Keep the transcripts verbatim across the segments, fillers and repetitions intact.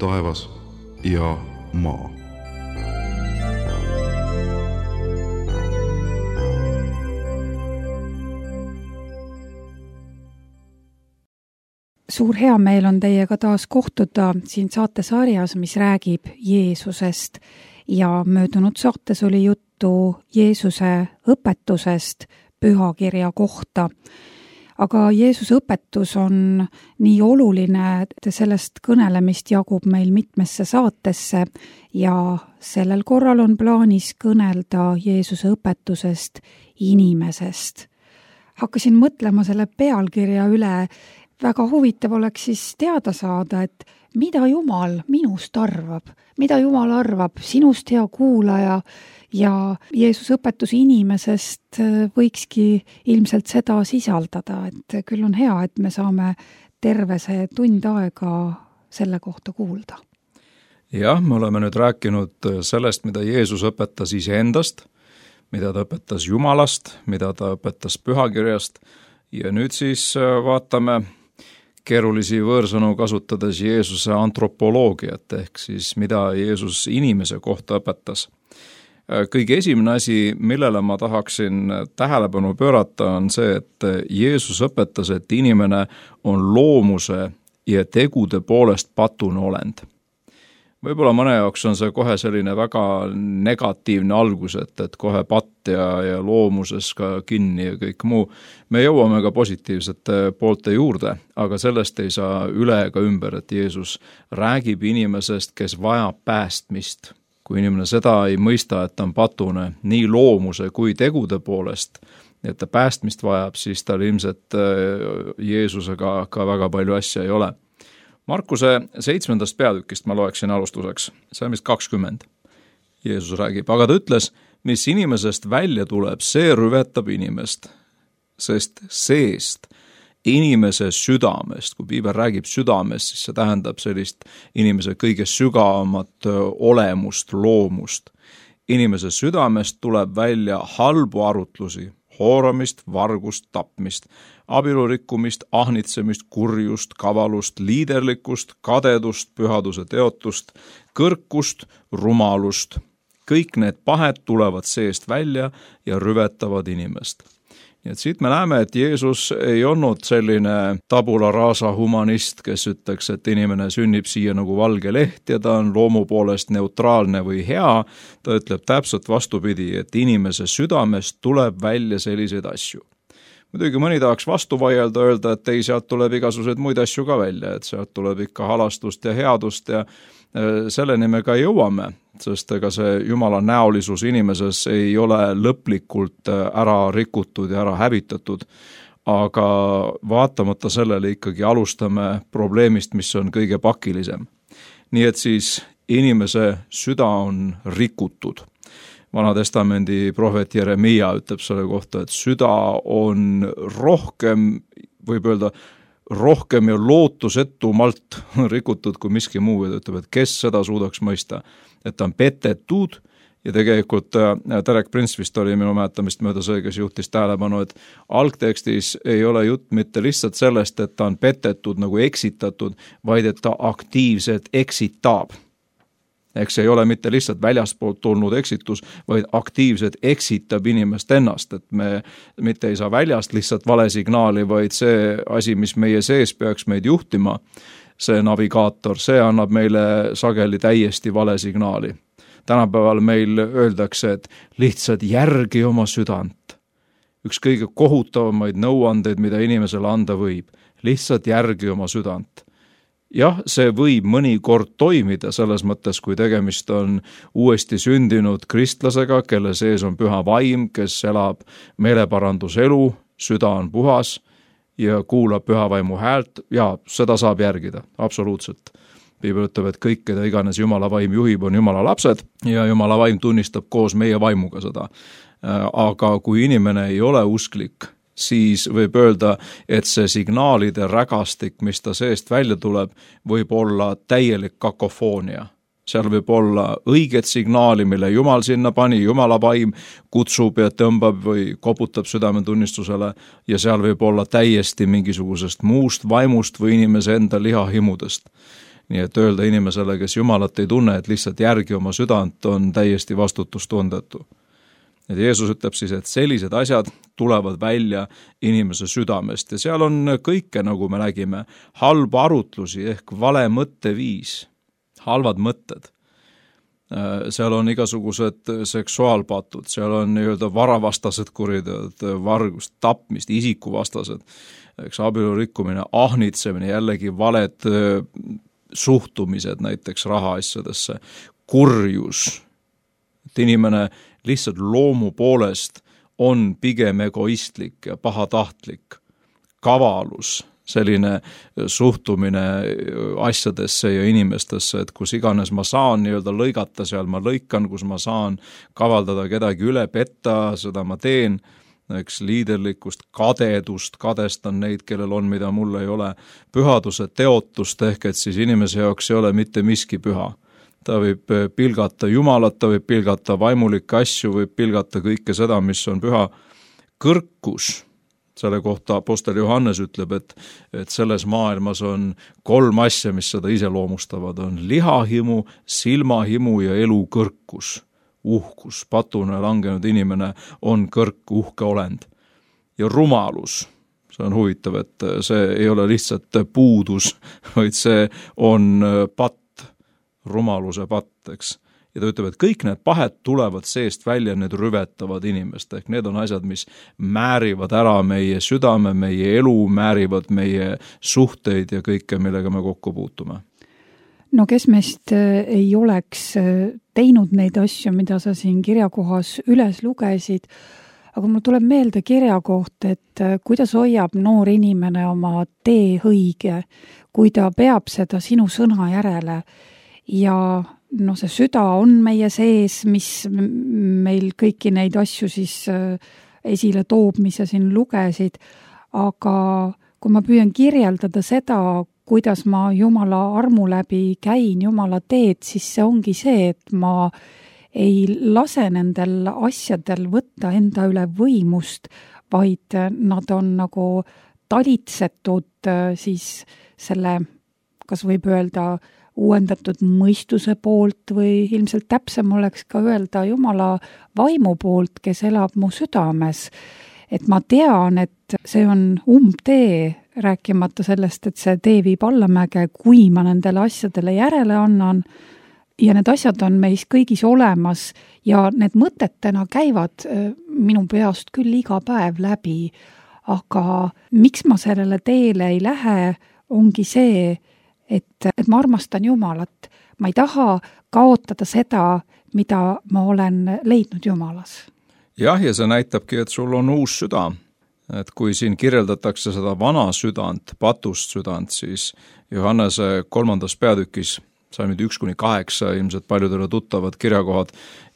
taevas ja maa. Suur hea meel on teiega taas kohtuda siin saatesarjas, mis räägib Jeesusest ja möödunud saates oli juttu Jeesuse õpetusest pühakirja kohta. Aga Jeesuse õpetus on nii oluline, et sellest kõnelemist jagub meil mitmesse saatesse ja sellel korral on plaanis kõnelda Jeesuse õpetusest inimesest. Hakkasin mõtlema selle pealkirja üle. Väga huvitav oleks siis teada saada, et mida Jumal minust arvab, mida Jumal arvab sinust, hea kuulaja, ja Jeesuse õpetus inimesest võikski ilmselt seda sisaldada, et küll on hea, et me saame terve see tund aega selle kohta kuulda. Jah, me oleme nüüd rääkinud sellest, mida Jeesus õpetas iseendast, mida ta õpetas Jumalast, mida ta õpetas pühakirjast ja nüüd siis vaatame keerulisi võõrsõnu kasutades Jeesuse antropoloogiat ehk siis mida Jeesus inimese kohta õpetas. Kõige esimene asi, millele ma tahaksin tähelepanu pöörata, on see, et Jeesus õpetas, et inimene on loomuse ja tegude poolest patune olend. Võib-olla mõne jaoks on see kohe selline väga negatiivne algus, et, et kohe patt ja, ja loomuses ka kinni ja kõik muu. Me jõuame ka positiivsete poolte juurde, aga sellest ei saa üle ega ümber, et Jeesus räägib inimesest, kes vajab päästmist. Kui inimene seda ei mõista, et ta on patune nii loomuse kui tegude poolest, et ta päästmist vajab, siis tal ilmselt Jeesusega ka väga palju asja ei ole. Markuse seitsmendast peatükist ma loeksin alustuseks, see on vist kakskümmend. Jeesus räägib, aga ta ütles, mis inimesest välja tuleb, see rüvetab inimest, sest seest inimese südamest, kui piibel räägib südamest, siis see tähendab sellist inimese kõige sügavamat olemust, loomust. Inimese südamest tuleb välja halbu arutlusi, hooramist, vargust, tapmist, abielurikkumist, ahnitsemist, kurjust, kavalust, liiderlikkust, kadedust, pühaduse teotust, kõrkust, rumalust. Kõik need pahed tulevad seest välja ja rüvetavad inimest. Nii et siit me näeme, et Jeesus ei olnud selline tabula rasa humanist, kes ütleks, et inimene sünnib siia nagu valge leht ja ta on loomu poolest neutraalne või hea. Ta ütleb täpselt vastupidi, et inimese südamest tuleb välja selliseid asju. Muidugi mõni tahaks vastu vaielda, öelda, et ei, sealt tuleb igasuguseid muid asju ka välja, et sealt tuleb ikka halastust ja headust ja selleni me ka jõuame, sest ega see Jumala näolisus inimeses ei ole lõplikult ära rikutud ja ära hävitatud, aga vaatamata sellele ikkagi alustame probleemist, mis on kõige pakilisem. Nii et siis inimese süda on rikutud. Vanatestamendi prohvet Jeremia ütleb selle kohta, et süda on rohkem, võib öelda, rohkem ja lootusetumalt rikutud kui miski muu, ja ta ütleb, et kes seda suudaks mõista, et ta on petetud ja tegelikult Derek Prince vist oli minu mäletamist mööda see, kes juhtis tähelepanu, et algtekstis ei ole jutt mitte lihtsalt sellest, et ta on petetud nagu eksitatud, vaid et ta aktiivselt eksitab. Eks ei ole mitte lihtsalt väljaspoolt tulnud eksitus, vaid aktiivselt eksitab inimest ennast, et me mitte ei saa väljast lihtsalt vale signaali, vaid see asi, mis meie sees peaks meid juhtima, see navigaator, see annab meile sageli täiesti vale signaali. Tänapäeval meil öeldakse, et lihtsalt järgi oma südant. Üks kõige kohutavamaid nõuandeid, mida inimesele anda võib, lihtsalt järgi oma südant. Jah, see võib mõnikord toimida selles mõttes, kui tegemist on uuesti sündinud kristlasega, kelle sees on püha vaim, kes elab meeleparanduselu, süda on puhas ja kuulab püha vaimu häält, ja seda saab järgida, absoluutselt. Piibel ütleb, et kõik, keda iganes Jumala vaim juhib, on Jumala lapsed ja Jumala vaim tunnistab koos meie vaimuga seda. Aga kui inimene ei ole usklik, siis võib öelda, et see signaalide rägastik, mis ta seest välja tuleb, võib olla täielik kakofoonia. Seal võib olla õiget signaali, mille Jumal sinna pani, Jumala vaim kutsub ja tõmbab või koputab südametunnistusele, ja seal võib olla täiesti mingisugusest muust vaimust või inimese enda lihahimudest. nii et öelda inimesele, kes Jumalat ei tunne, et lihtsalt järgi oma südant, on täiesti vastutustundetu. Et Jeesus ütleb siis, et sellised asjad tulevad välja inimese südamest ja seal on kõike, nagu me nägime, halba arutlusi ehk vale mõtteviis, halvad mõtted. Seal on igasugused seksuaalpatud, seal on nii-öelda varavastased kuriteod, vargust, tapmist, isikuvastased, eks abielu rikkumine, ahnitsemine, jällegi valed suhtumised näiteks rahaasjadesse, kurjus, et inimene lihtsalt loomu poolest on pigem egoistlik ja pahatahtlik, kavalus, selline suhtumine asjadesse ja inimestesse, et kus iganes ma saan nii-öelda lõigata, seal ma lõikan, kus ma saan kavaldada kedagi üle, petta, seda ma teen, eks liiderlikkust, kadedust, kadestan neid, kellel on, mida mul ei ole, pühaduse teotust ehk et siis inimese jaoks ei ole mitte miski püha. Ta võib pilgata Jumalat, ta võib pilgata vaimulikke asju, võib pilgata kõike seda, mis on püha. Kõrkus, selle kohta apostel Johannes ütleb, et, et selles maailmas on kolm asja, mis seda iseloomustavad, on lihahimu, silmahimu ja elukõrkus. Uhkus, patune langenud inimene on kõrk, uhke olend. Ja rumalus, see on huvitav, et see ei ole lihtsalt puudus, vaid see on patt, rumaluse patt, eks. Ja ta ütleb, et kõik need pahed tulevad seest välja, need rüvetavad inimest, ehk need on asjad, mis määrivad ära meie südame, meie elu, määrivad meie suhteid ja kõike, millega me kokku puutume. No kes meist ei oleks teinud neid asju, mida sa siin kirjakohas üles lugesid, aga mul tuleb meelde kirja koht, et kuidas hoiab noor inimene oma tee õige, kui ta peab seda sinu sõna järele. Ja no see süda on meie sees, mis meil kõiki neid asju siis esile toob, mis sa siin lugesid, aga kui ma püüan kirjeldada seda, kuidas ma Jumala armu läbi käin Jumala teed, siis see ongi see, et ma ei lase nendel asjadel võtta enda üle võimust, vaid nad on nagu talitsetud siis selle, kas võib öelda, uuendatud mõistuse poolt või ilmselt täpsem oleks ka öelda Jumala vaimu poolt, kes elab mu südames. Et ma tean, et see on umbtee, rääkimata sellest, et see tee viib allamäge, kui ma nendele asjadele järele annan ja need asjad on meis kõigis olemas ja need mõtetena käivad minu peast küll iga päev läbi, aga miks ma sellele teele ei lähe, ongi see, Et, et ma armastan Jumalat. Ma ei taha kaotada seda, mida ma olen leidnud Jumalas. Jah, ja see näitabki, et sul on uus süda. Et kui siin kirjeldatakse seda vana südant, patust südant, siis Johannese kolmandas peatükis, salmid üks kuni kaheksa, ilmselt paljudele tuttavad kirjakohad,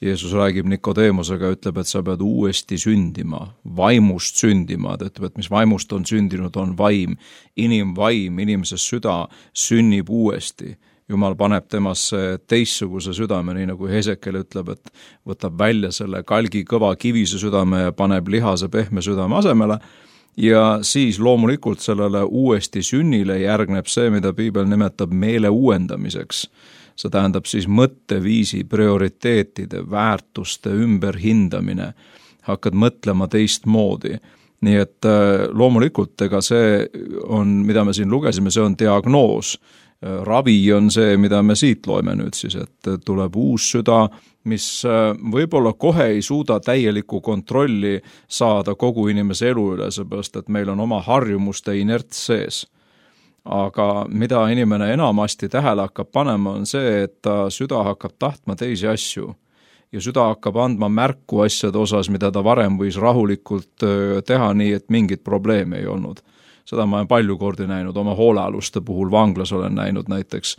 Jeesus räägib Nikodeemusega, ütleb, et sa pead uuesti sündima, vaimust sündima, ta ütleb, et mis vaimust on sündinud, on vaim, inimvaim, inimese süda sünnib uuesti. Jumal paneb temasse teistsuguse südame, nii nagu Hesekel ütleb, et võtab välja selle kalgi kõva kivise südame ja paneb lihase pehme südame asemele. Ja siis loomulikult sellele uuesti sünnile järgneb see, mida Piibel nimetab meele uuendamiseks. See tähendab siis mõtteviisi, prioriteetide, väärtuste ümberhindamine. Hakkad mõtlema teistmoodi. Nii et loomulikult, ega see on, mida me siin lugesime, see on diagnoos. Ravi on see, mida me siit loeme nüüd siis, et tuleb uus süda, mis võib-olla kohe ei suuda täielikku kontrolli saada kogu inimese elu üle, seepärast, et meil on oma harjumuste inerts sees. Aga mida inimene enamasti tähele hakkab panema, on see, et ta süda hakkab tahtma teisi asju ja süda hakkab andma märku asjade osas, mida ta varem võis rahulikult teha nii, et mingit probleemi ei olnud. Seda ma olen palju kordi näinud, oma hoolealuste puhul vanglas olen näinud näiteks,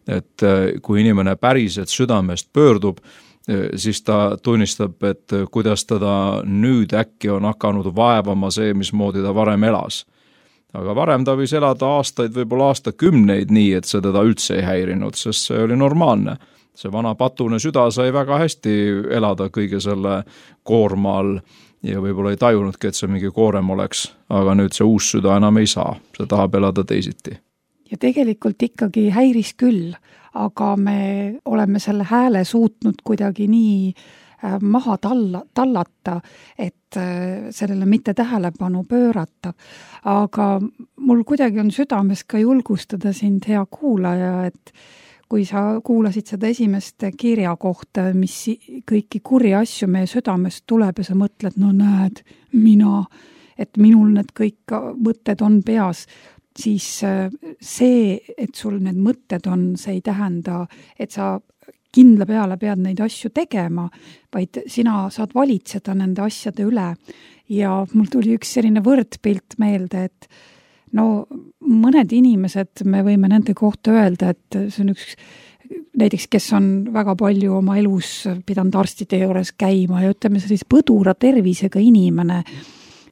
et kui inimene päriselt südamest pöördub, siis ta tunnistab, et kuidas teda nüüd äkki on hakanud vaevama see, mismoodi ta varem elas. Aga varem ta võis elada aastaid, võib-olla aastakümneid nii, et see teda üldse ei häirinud, sest see oli normaalne. See vana patune süda sai väga hästi elada kõige selle koorma all ja võib-olla ei tajunudki, et see mingi koorem oleks, aga nüüd see uus süda enam ei saa, see tahab elada teisiti. ja tegelikult ikkagi häiris küll, aga me oleme selle hääle suutnud kuidagi nii maha talla, tallata, et sellele mitte tähelepanu pöörata. Aga mul kuidagi on südames ka julgustada sind, hea kuulaja, et kui sa kuulasid seda esimest kirja kohta, mis kõiki kurji asju meie südamest tuleb ja sa mõtled, no näed, mina, et minul need kõik mõtted on peas, siis see, et sul need mõtted on, see ei tähenda, et sa kindla peale pead neid asju tegema, vaid sina saad valitseda nende asjade üle. Ja mul tuli üks selline võrdpilt meelde, et no mõned inimesed, me võime nende kohta öelda, et see on üks, näiteks kes on väga palju oma elus pidanud arstide juures käima ja ütleme sellise põdura tervisega inimene,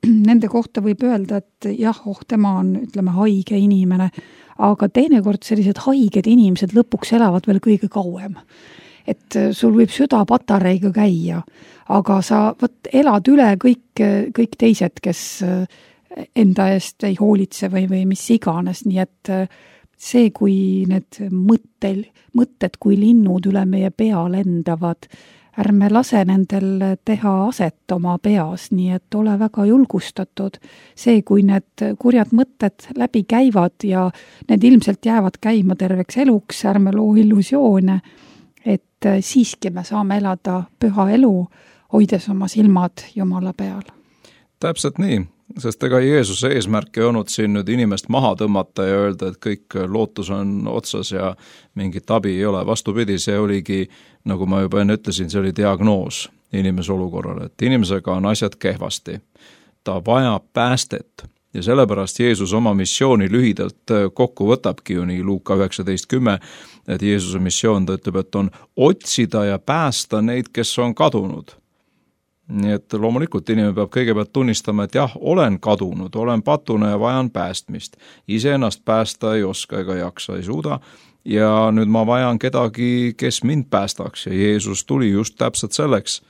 nende kohta võib öelda, et jah, oh, tema on, ütleme, haige inimene, aga teinekord sellised haiged inimesed lõpuks elavad veel kõige kauem. Et sul võib süda patareiga käia, aga sa võt, elad üle kõik, kõik teised, kes enda eest ei hoolitse või, või mis iganes, nii et see, kui need mõttel, mõtted kui linnud üle meie pea lendavad, ärme lase nendel teha aset oma peas, nii et ole väga julgustatud. See, kui need kurjad mõtted läbi käivad ja need ilmselt jäävad käima terveks eluks, ärme loo illusioone, et siiski me saame elada püha elu, hoides oma silmad Jumala peal. Täpselt nii, sest ega Jeesuse eesmärk ei olnud siin nüüd inimest maha tõmmata ja öelda, et kõik lootus on otsas ja mingit abi ei ole. Vastupidi, see oligi, nagu ma juba enne ütlesin, see oli diagnoos inimese olukorrale, et inimesega on asjad kehvasti. Ta vajab päästet ja sellepärast Jeesus oma missiooni lühidalt kokku võtabki ju nii Luuka üheksateist kümme, et Jeesuse missioon, ta ütleb, et on otsida ja päästa neid, kes on kadunud. Nii et loomulikult inimene peab kõigepealt tunnistama, et jah, olen kadunud, olen patune ja vajan päästmist. Ise ennast päästa ei oska ega jaksa, ei suuda ja nüüd ma vajan kedagi, kes mind päästaks ja Jeesus tuli just täpselt selleks.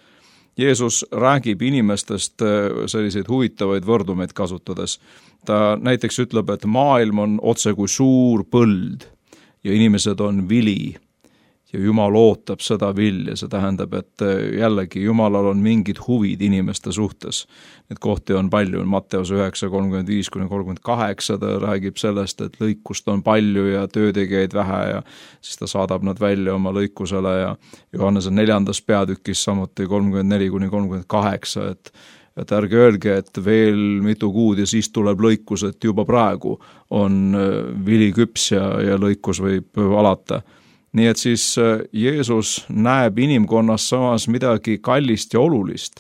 Jeesus räägib inimestest selliseid huvitavaid võrdumeid kasutades. Ta näiteks ütleb, et maailm on otse kui suur põld ja inimesed on vili. Ja Jumal ootab seda vilja, see tähendab, et jällegi Jumalal on mingid huvid inimeste suhtes. Need kohti on palju, Matteus üheksa kolmkümmend viis kuni kolmkümmend kaheksa, ta räägib sellest, et lõikust on palju ja töötegijaid vähe ja siis ta saadab nad välja oma lõikusele ja Johannese neljandas peatükis samuti kolmkümmend neli kuni kolmkümmend kaheksa, et et ärge öelge, et veel mitu kuud ja siis tuleb lõikus, et juba praegu on vili küps ja, ja lõikus võib alata. Nii et siis Jeesus näeb inimkonnas samas midagi kallist ja olulist.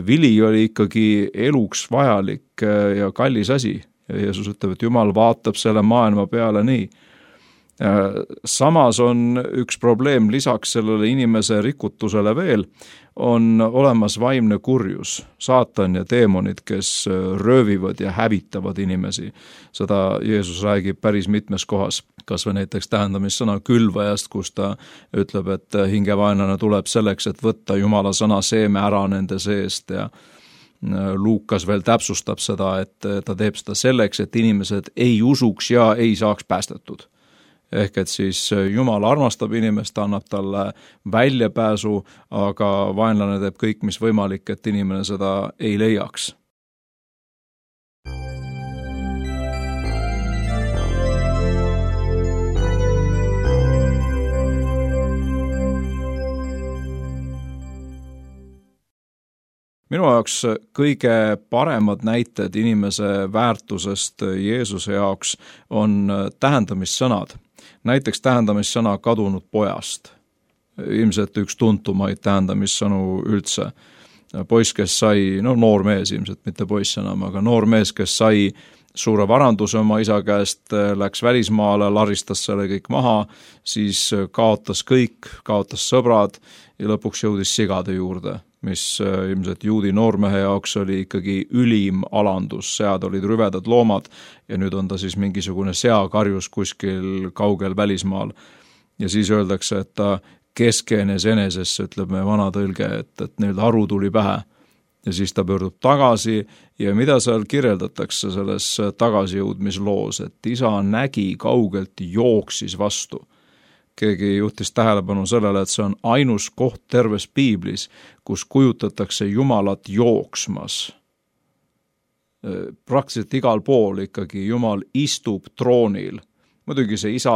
Vili oli ikkagi eluks vajalik ja kallis asi. Ja Jeesus ütleb, et Jumal vaatab selle maailma peale nii. Samas on üks probleem lisaks sellele inimese rikutusele veel, on olemas vaimne kurjus, saatan ja teemonid, kes röövivad ja hävitavad inimesi. Seda Jeesus räägib päris mitmes kohas, kas või näiteks tähendamissõna külvajast, kus ta ütleb, et hingevaenlane tuleb selleks, et võtta Jumala sõna seeme ära nende seest ja Luukas veel täpsustab seda, et ta teeb seda selleks, et inimesed ei usuks ja ei saaks päästetud. Ehk et siis Jumal armastab inimest, annab talle väljapääsu, aga vaenlane teeb kõik, mis võimalik, et inimene seda ei leiaks. Minu jaoks kõige paremad näited inimese väärtusest Jeesuse jaoks on tähendamissõnad. Näiteks tähendamissõna kadunud pojast. Ilmselt üks tuntumaid tähendamissõnu üldse. Poiss, kes sai, no noor mees ilmselt, mitte poiss enam, aga noor mees, kes sai suure varanduse oma isa käest, läks välismaale, laristas selle kõik maha, siis kaotas kõik, kaotas sõbrad ja lõpuks jõudis sigade juurde, mis ilmselt juudi noormehe jaoks oli ikkagi ülim alandus, sead olid rüvedad loomad ja nüüd on ta siis mingisugune seakarjus kuskil kaugel välismaal. Ja siis öeldakse, et ta keskenes enesesse, ütleb meie vana tõlge, et, et neil aru tuli pähe. ja siis ta pöördub tagasi ja mida seal kirjeldatakse selles tagasijõudmisloos, et isa nägi kaugelt, jooksis vastu. Keegi juhtis tähelepanu sellele, et see on ainus koht terves piiblis, kus kujutatakse Jumalat jooksmas. Praktiliselt igal pool ikkagi Jumal istub troonil. Muidugi see isa,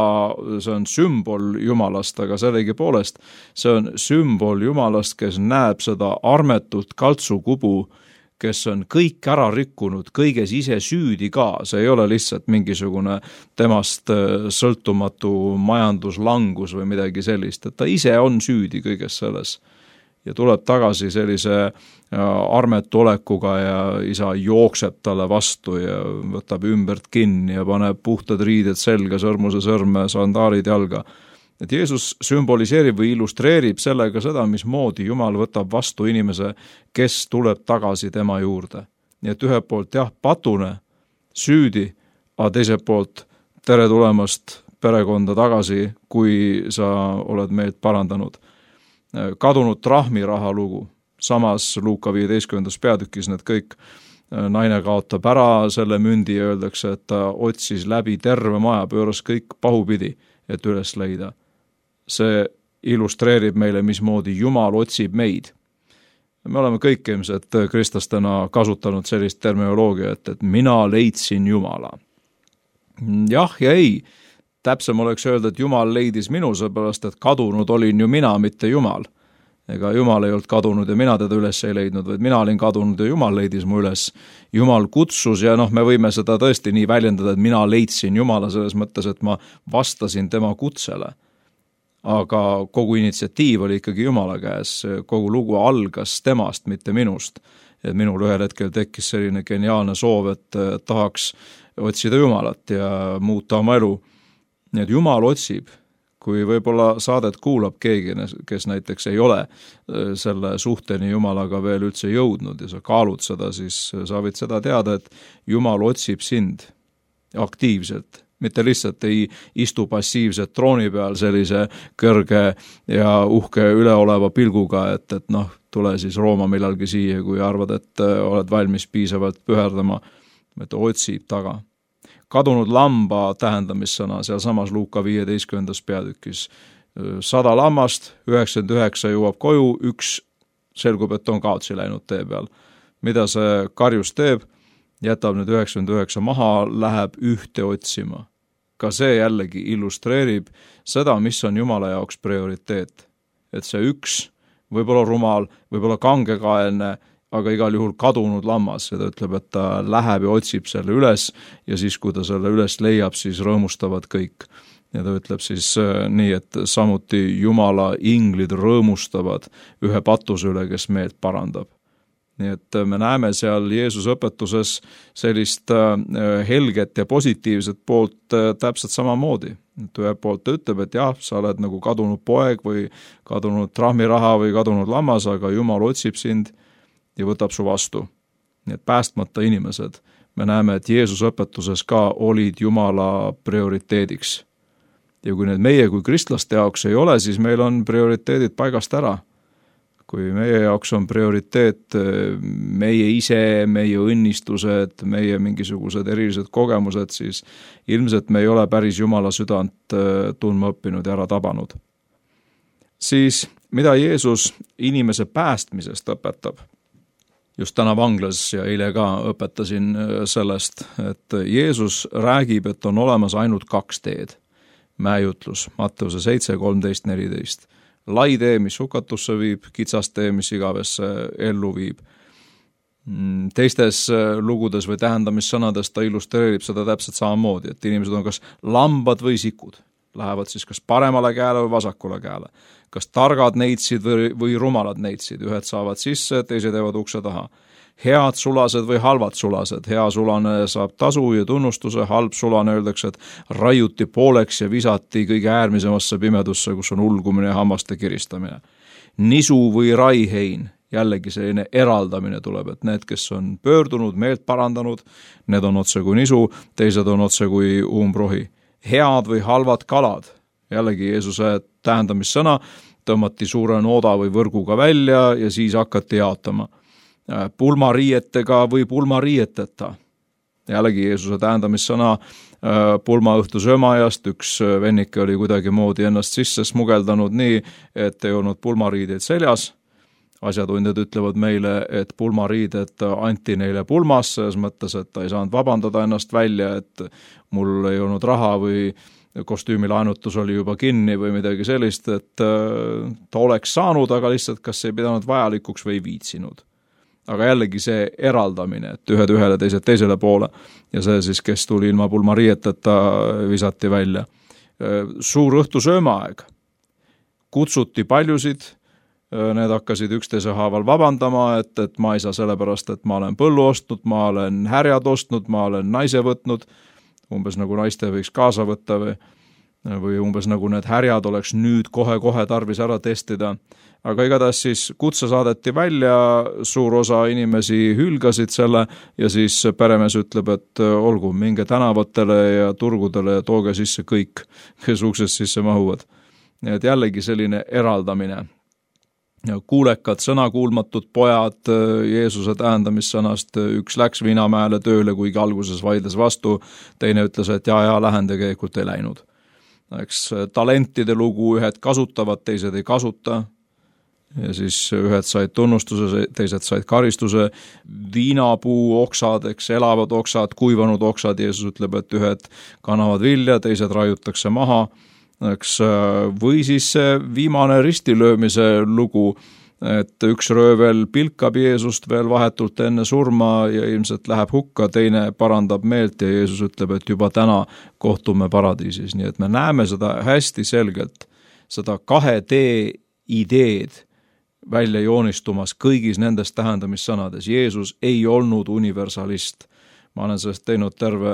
see on sümbol Jumalast, aga sellegipoolest see on sümbol Jumalast, kes näeb seda armetut kaltsukubu, kes on kõik ära rikkunud, kõiges ise süüdi ka. See ei ole lihtsalt mingisugune temast sõltumatu majanduslangus või midagi sellist, et ta ise on süüdi kõiges selles. Ja tuleb tagasi sellise armetu olekuga ja isa jookseb talle vastu ja võtab ümbert kinni ja paneb puhtad riided selga, sõrmuse sõrme, sandaalid jalga. Et Jeesus sümboliseerib või illustreerib sellega seda, mismoodi Jumal võtab vastu inimese, kes tuleb tagasi tema juurde. Nii et ühelt poolt jah, patune, süüdi, aga teiselt poolt tere tulemast perekonda tagasi, kui sa oled meid parandanud. Kadunud trahmiraha lugu, samas Luuka viieteistkümnendas peatükis need kõik, naine kaotab ära selle mündi ja öeldakse, et ta otsis läbi terve maja, pööras kõik pahupidi, et üles leida. See illustreerib meile, mismoodi Jumal otsib meid. Me oleme kõik ilmselt kristlastena kasutanud sellist terminoloogiat, et mina leidsin Jumala. Jah ja ei. Täpsem oleks öelda, et Jumal leidis minu, seepärast, et kadunud olin ju mina, mitte Jumal. Ega Jumal ei olnud kadunud ja mina teda üles ei leidnud, vaid mina olin kadunud ja Jumal leidis mu üles. Jumal kutsus ja noh, me võime seda tõesti nii väljendada, et mina leidsin Jumala selles mõttes, et ma vastasin tema kutsele. Aga kogu initsiatiiv oli ikkagi Jumala käes, kogu lugu algas temast, mitte minust. Et minul ühel hetkel tekkis selline geniaalne soov, et tahaks otsida Jumalat ja muuta oma elu. Nii et Jumal otsib, kui võib-olla saadet kuulab keegi, kes näiteks ei ole selle suhteni Jumalaga veel üldse jõudnud ja sa kaalud seda, siis sa võid seda teada, et Jumal otsib sind aktiivselt, mitte lihtsalt ei istu passiivselt trooni peal sellise kõrge ja uhke üleoleva pilguga, et, et noh, tule siis Rooma millalgi siia, kui arvad, et oled valmis piisavalt püherdama, et otsib taga. Kadunud lamba tähendamissõna seal samas Luuka viieteistkümnendas peatükis. Sada lammast, üheksakümmend üheksa jõuab koju, üks selgub, et on kaotsi läinud tee peal. Mida see karjus teeb? Jätab nüüd üheksakümmend üheksa maha, läheb ühte otsima. Ka see jällegi illustreerib seda, mis on Jumala jaoks prioriteet. Et see üks, võib-olla rumal, võib-olla kangekaelne, aga igal juhul kadunud lammas ja ta ütleb, et ta läheb ja otsib selle üles ja siis, kui ta selle üles leiab, siis rõõmustavad kõik. Ja ta ütleb siis nii, et samuti Jumala inglid rõõmustavad ühe patuse üle, kes meelt parandab. Nii et me näeme seal Jeesus õpetuses sellist helget ja positiivset poolt täpselt samamoodi. Et ühe poolt ta ütleb, et jah, sa oled nagu kadunud poeg või kadunud trahmiraha või kadunud lammas, aga Jumal otsib sind ja võtab su vastu. Nii et päästmata inimesed, me näeme, et Jeesus õpetuses ka olid Jumala prioriteediks. Ja kui need meie kui kristlaste jaoks ei ole, siis meil on prioriteedid paigast ära. Kui meie jaoks on prioriteet meie ise, meie õnnistused, meie mingisugused erilised kogemused, siis ilmselt me ei ole päris Jumala südant tundma õppinud ja ära tabanud. Siis, mida Jeesus inimese päästmisest õpetab? Just täna vanglas ja eile ka õpetasin sellest, et Jeesus räägib, et on olemas ainult kaks teed. Mäejutlus, Matteuse seitse, kolmteist, neliteist. Lai tee, mis hukatusse viib, kitsas tee, mis igavesse ellu viib. Teistes lugudes või tähendamissõnades ta illustreerib seda täpselt samamoodi, et inimesed on kas lambad või sikud. Lähevad siis kas paremale käele või vasakule käele. Kas targad neitsid või, või rumalad neitsid. Ühed saavad sisse, teised jäävad ukse taha. Head sulased või halvad sulased. Hea sulane saab tasu ja tunnustuse, halb sulane öeldakse, et raiuti pooleks ja visati kõige äärmisemasse pimedusse, kus on ulgumine ja hammaste kiristamine. Nisu või raihein. Jällegi selline eraldamine tuleb, et need, kes on pöördunud, meelt parandanud, need on otse kui nisu, teised on otse kui umbrohi. Head või halvad kalad. Jällegi Jeesuse tähendamissõna tõmmati suure nooda või võrguga välja ja siis hakati jaotama. pulmariietega või pulmariieteta. Jällegi Jeesuse tähendamissõna pulmaõhtu söömaajast, üks vennike oli kuidagi moodi ennast sisse smugeldanud nii, et ei olnud pulmariideid seljas. Asjatundjad ütlevad meile, et pulmariided anti neile pulmas, selles mõttes, et ta ei saanud vabandada ennast välja, et mul ei olnud raha või kostüümilaenutus oli juba kinni või midagi sellist, et ta oleks saanud, aga lihtsalt kas ei pidanud vajalikuks või ei viitsinud. Aga jällegi see eraldamine, et ühed ühele, teised teisele poole ja see siis, kes tuli ilma pulmariieteta, visati välja. Suur õhtu söömaaeg. Kutsuti paljusid, need hakkasid üksteise haaval vabandama, et, et ma ei saa sellepärast, et ma olen põllu ostnud, ma olen härjad ostnud, ma olen naise võtnud, umbes nagu naiste võiks kaasa võtta või, või umbes nagu need härjad oleks nüüd kohe-kohe tarvis ära testida. Aga igatahes siis kutse saadeti välja, suur osa inimesi hülgasid selle ja siis peremees ütleb, et olgu, minge tänavatele ja turgudele ja tooge sisse kõik, kes uksest sisse mahuvad. Et jällegi selline eraldamine. Kuulekad, sõnakuulmatud pojad Jeesuse tähendamissõnast, üks läks Viinamäele tööle, kuigi alguses vaidles vastu, teine ütles, et jaa, jaa, lähen tegelikult ei läinud. Eks talentide lugu, ühed kasutavad, teised ei kasuta, ja siis ühed said tunnustuse, teised said karistuse, viinapuu oksad, eks elavad oksad, kuivanud oksad, Jeesus ütleb, et ühed kannavad vilja, teised raiutakse maha, eks, või siis viimane ristilöömise lugu, et üks röövel pilkab Jeesust veel vahetult enne surma ja ilmselt läheb hukka, teine parandab meelt ja Jeesus ütleb, et juba täna kohtume paradiisis. Nii et me näeme seda hästi selgelt, seda kahe tee ideed välja joonistumas kõigis nendes tähendamissõnades. Jeesus ei olnud universalist. Ma olen sellest teinud terve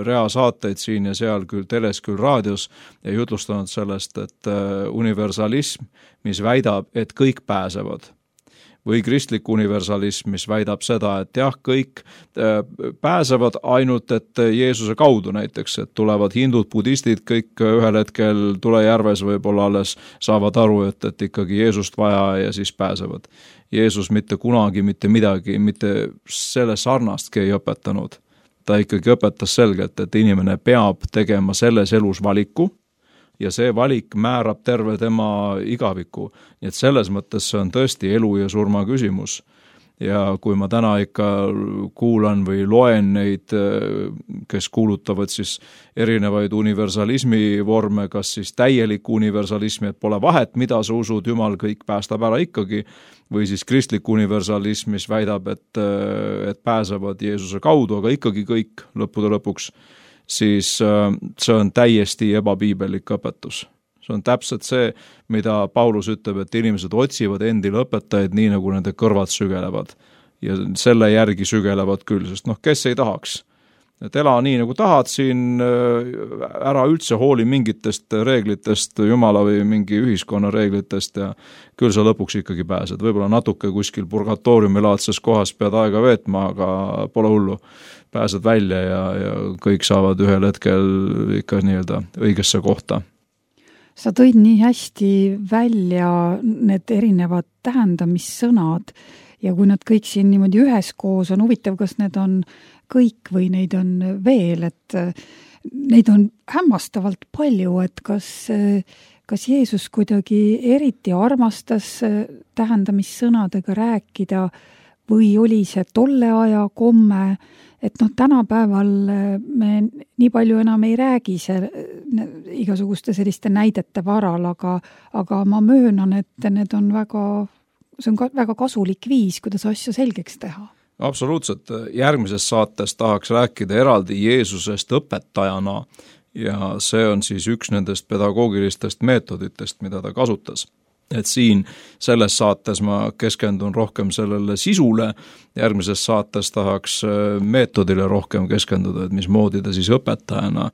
rea saateid siin ja seal, küll teles, küll raadios ja jutlustanud sellest, et universalism, mis väidab, et kõik pääsevad. Või kristlik universalism, mis väidab seda, et jah, kõik pääsevad ainult, et Jeesuse kaudu näiteks, et tulevad hindud, budistid, kõik ühel hetkel tulejärves võib-olla alles saavad aru, et, et ikkagi Jeesust vaja ja siis pääsevad. Jeesus mitte kunagi, mitte midagi, mitte selle sarnastki ei õpetanud. Ta ikkagi õpetas selgelt, et inimene peab tegema selles elus valiku ja see valik määrab terve tema igaviku. Nii et selles mõttes see on tõesti elu ja surma küsimus. Ja kui ma täna ikka kuulan või loen neid, kes kuulutavad siis erinevaid universalismi vorme, kas siis täielik universalismi, et pole vahet, mida sa usud, Jumal kõik päästab ära ikkagi, või siis kristlik universalism, mis väidab, et, et pääsevad Jeesuse kaudu, aga ikkagi kõik lõppude lõpuks, siis see on täiesti ebapiibelik õpetus. See on täpselt see, mida Paulus ütleb, et inimesed otsivad endile õpetajaid nii, nagu nende kõrvad sügelevad. Ja selle järgi sügelevad küll, sest noh, kes ei tahaks. Et ela nii, nagu tahad siin, ära üldse hooli mingitest reeglitest, Jumala või mingi ühiskonna reeglitest ja küll sa lõpuks ikkagi pääsed. Võib-olla natuke kuskil purgatooriumilaadses kohas pead aega veetma, aga pole hullu. Pääsed välja ja, ja kõik saavad ühel hetkel ikka nii-öelda õigesse kohta. Sa tõid nii hästi välja need erinevad tähendamissõnad ja kui nad kõik siin niimoodi üheskoos on huvitav, kas need on kõik või neid on veel, et neid on hämmastavalt palju, et kas, kas Jeesus kuidagi eriti armastas tähendamissõnadega rääkida või oli see tolle aja komme, et noh, tänapäeval me nii palju enam ei räägi see, igasuguste selliste näidete varal, aga, aga ma möönan, et need on väga, see on ka, väga kasulik viis, kuidas asja selgeks teha. Absoluutselt. Järgmises saates tahaks rääkida eraldi Jeesusest õpetajana ja see on siis üks nendest pedagoogilistest meetoditest, mida ta kasutas. Et siin selles saates ma keskendun rohkem sellele sisule, järgmises saates tahaks meetodile rohkem keskenduda, et mismoodi ta siis õpetajana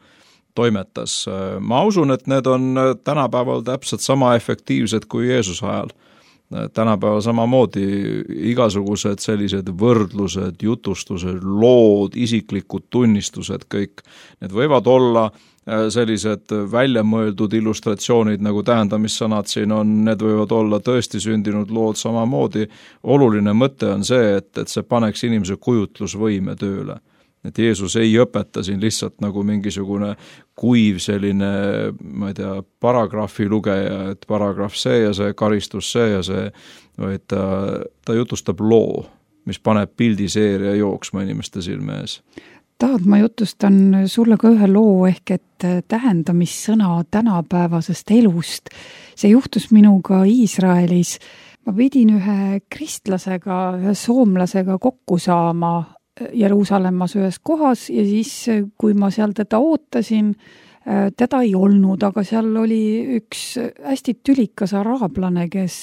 toimetas. Ma usun, et need on tänapäeval täpselt sama efektiivsed kui Jeesuse ajal. tänapäeval samamoodi igasugused sellised võrdlused, jutustused, lood, isiklikud tunnistused, kõik need võivad olla sellised väljamõeldud illustratsioonid, nagu tähendamissõnad siin on, need võivad olla tõesti sündinud lood samamoodi. Oluline mõte on see, et, et see paneks inimese kujutlusvõime tööle. Et Jeesus ei õpeta siin lihtsalt nagu mingisugune kuiv selline, ma ei tea, paragrahvi lugeja, et paragrahv see ja see, karistus see ja see, vaid ta, ta jutustab loo, mis paneb pildiseeria jooksma inimeste silme ees. Tahad, ma jutustan sulle ka ühe loo ehk et tähendamissõna tänapäevasest elust. See juhtus minuga Iisraelis. Ma pidin ühe kristlasega, ühe soomlasega kokku saama Jeruusalemmas ühes kohas ja siis, kui ma seal teda ootasin, teda ei olnud, aga seal oli üks hästi tülikas araablane, kes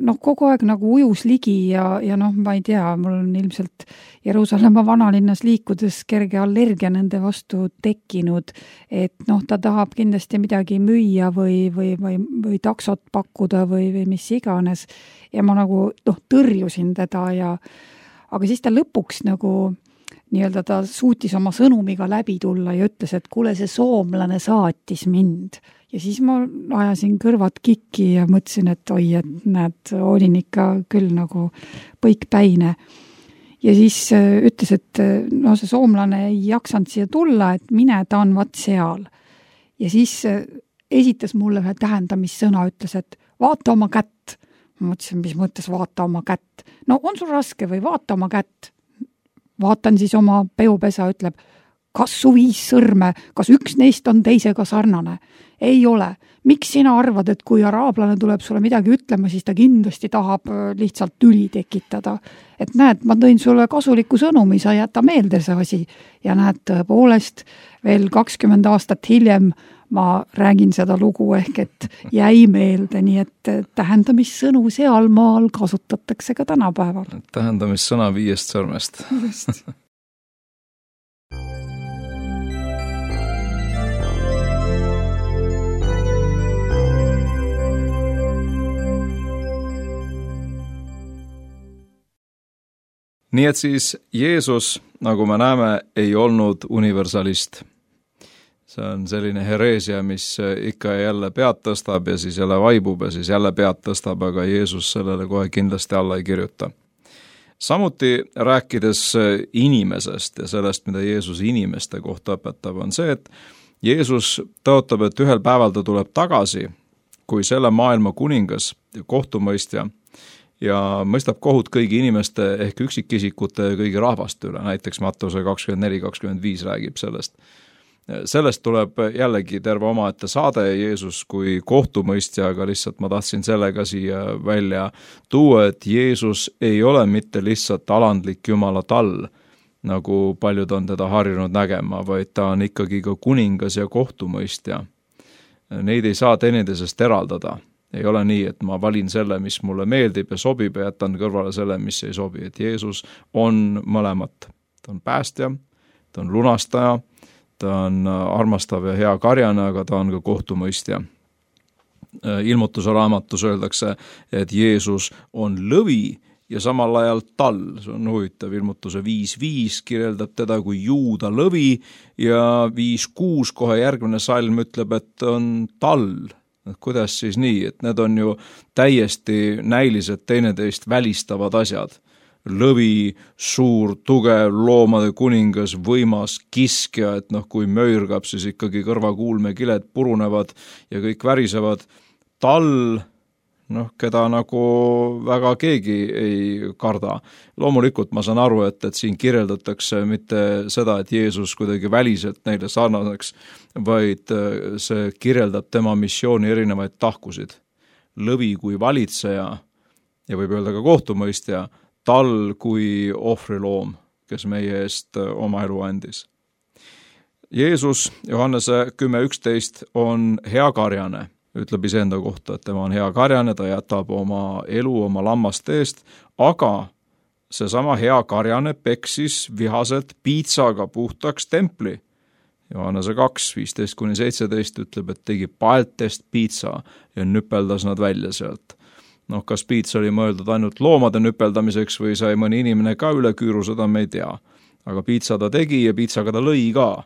noh, kogu aeg nagu ujus ligi ja, ja noh, ma ei tea, mul on ilmselt Jeruusalemma vanalinnas liikudes kerge allergia nende vastu tekkinud, et noh, ta tahab kindlasti midagi müüa või, või, või, või taksot pakkuda või, või mis iganes ja ma nagu noh, tõrjusin teda ja aga siis ta lõpuks nagu nii-öelda ta suutis oma sõnumiga läbi tulla ja ütles, et kuule, see soomlane saatis mind. Ja siis ma ajasin kõrvad kikki ja mõtlesin, et oi, et näed, olin ikka küll nagu põikpäine. Ja siis ütles, et no see soomlane ei jaksanud siia tulla, et mine, ta on vaat seal. Ja siis esitas mulle ühe tähendamissõna, ütles, et vaata oma kätt. Ma mõtlesin, mis mõttes vaata oma kätt. No on sul raske või vaata oma kätt? Vaatan siis oma peopesa, ütleb, kas su viis sõrme, kas üks neist on teisega sarnane? Ei ole. Miks sina arvad, et kui araablane tuleb sulle midagi ütlema, siis ta kindlasti tahab lihtsalt tüli tekitada? Et näed, ma tõin sulle kasuliku sõnumi, sa jäta meelde see asi. Ja näed, tõepoolest, veel kakskümmend aastat hiljem ma räägin seda lugu ehk, et jäi meelde, nii et tähendamissõnu sealmaal kasutatakse ka tänapäeval. Tähendamissõna viiest sõrmest. Just. Nii et siis Jeesus, nagu me näeme, ei olnud universalist. See on selline hereesia, mis ikka ja jälle pead tõstab ja siis jälle vaibub ja siis jälle pead tõstab, aga Jeesus sellele kohe kindlasti alla ei kirjuta. Samuti rääkides inimesest ja sellest, mida Jeesus inimeste kohta õpetab, on see, et Jeesus tõotab, et ühel päeval ta tuleb tagasi, kui selle maailma kuningas ja kohtumõistja ja mõistab kohut kõigi inimeste ehk üksikisikute ja kõigi rahvaste üle, näiteks Mattuse kakskümmend neli kakskümmend viis räägib sellest. Sellest tuleb jällegi terve omaette saade Jeesus kui kohtumõistja, aga lihtsalt ma tahtsin sellega siia välja tuua, et Jeesus ei ole mitte lihtsalt alandlik Jumala tall, nagu paljud on teda harjunud nägema, vaid ta on ikkagi ka kuningas ja kohtumõistja. Neid ei saa teineteisest eraldada. Ei ole nii, et ma valin selle, mis mulle meeldib ja sobib ja jätan kõrvale selle, mis ei sobi. Et Jeesus on mõlemat. Ta on päästja, ta on lunastaja, ta on armastav ja hea karjane, aga ta on ka kohtumõistja. Ilmutuse raamatus öeldakse, et Jeesus on lõvi ja samal ajal tall. See on huvitav, ilmutuse viis viis kirjeldab teda kui juuda lõvi ja viis kuus kohe järgmine salm ütleb, et on tall. Kuidas siis nii, et need on ju täiesti näilised teineteist välistavad asjad. Lõvi, suur, tugev, loomade kuningas, võimas, kiskja, et noh, kui möürgab, siis ikkagi kõrvakuulmekiled purunevad ja kõik värisevad. Tall, noh, keda nagu väga keegi ei karda. Loomulikult ma saan aru, et, et siin kirjeldatakse mitte seda, et Jeesus kuidagi väliselt neile sarnaseks, vaid see kirjeldab tema missiooni erinevaid tahkusid. Lõvi kui valitseja ja võib öelda ka kohtumõistja, tall kui ohvriloom, kes meie eest oma elu andis. Jeesus, Johannese kümme üksteist, on hea karjane, ütleb iseenda kohta, et tema on hea karjane, ta jätab oma elu oma lammaste eest, aga seesama hea karjane peksis vihaselt piitsaga puhtaks templi. Johannese kaks viisteist kuni seitseteist ütleb, et tegi paeltest piitsa ja nüpeldas nad välja sealt. noh, kas piits oli mõeldud ainult loomade nüpeldamiseks või sai mõni inimene ka üle küüru, seda me ei tea. Aga piitsa ta tegi ja piitsaga ta lõi ka.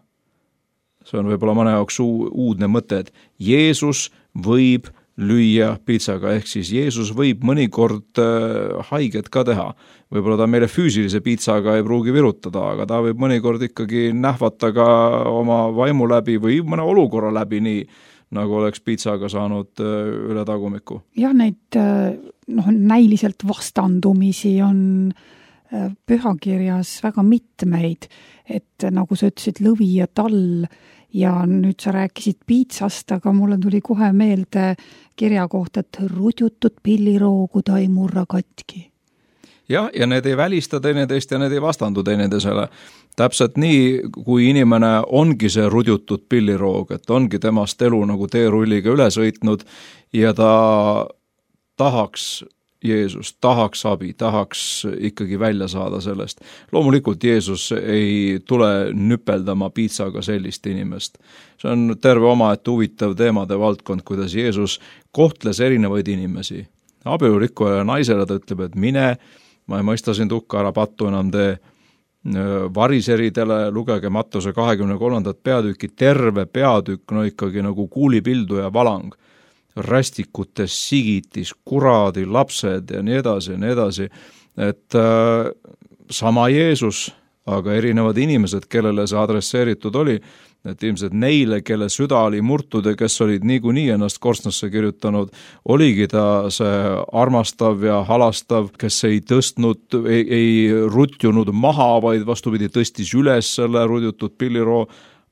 See on võib-olla mõne jaoks uudne mõte, et Jeesus võib lüüa piitsaga, ehk siis Jeesus võib mõnikord haiget ka teha. Võib-olla ta meile füüsilise piitsaga ei pruugi virutada, aga ta võib mõnikord ikkagi nähvata ka oma vaimu läbi või mõne olukorra läbi nii, nagu oleks piitsaga saanud üle tagumiku. Jah, neid noh, näiliselt vastandumisi on pühakirjas väga mitmeid, et nagu sa ütlesid, lõvi ja tall, ja nüüd sa rääkisid piitsast, aga mulle tuli kohe meelde kirja kohta, et rudjutud pilliroogu ta ei murra katki. Jah, ja need ei välista teineteist ja need ei vastandu teineteisele. Täpselt nii, kui inimene ongi see rudjutud pilliroog, et ongi temast elu nagu teerulliga üle sõitnud ja ta tahaks Jeesus, tahaks abi, tahaks ikkagi välja saada sellest. Loomulikult Jeesus ei tule nüpeldama piitsaga sellist inimest. See on terve omaette huvitav teemade valdkond, kuidas Jeesus kohtles erinevaid inimesi. Abielurikkujale naisele ta ütleb, et mine, ma ei mõista sind hukka, ära pattu enam tee. Variseridele lugege Mattuse kahekümne kolmandat peatükki, terve peatükk, no ikkagi nagu kuulipildu ja valang. Rästikutes, sigitis, kuradi, lapsed ja nii edasi ja nii edasi, et äh, sama Jeesus, aga erinevad inimesed, kellele see adresseeritud oli, et ilmselt neile, kelle süda oli murtud ja kes olid niikuinii ennast korstnasse kirjutanud, oligi ta see armastav ja halastav, kes ei tõstnud, ei, ei rutjunud maha, vaid vastupidi tõstis üles selle rudjutud pilliroo,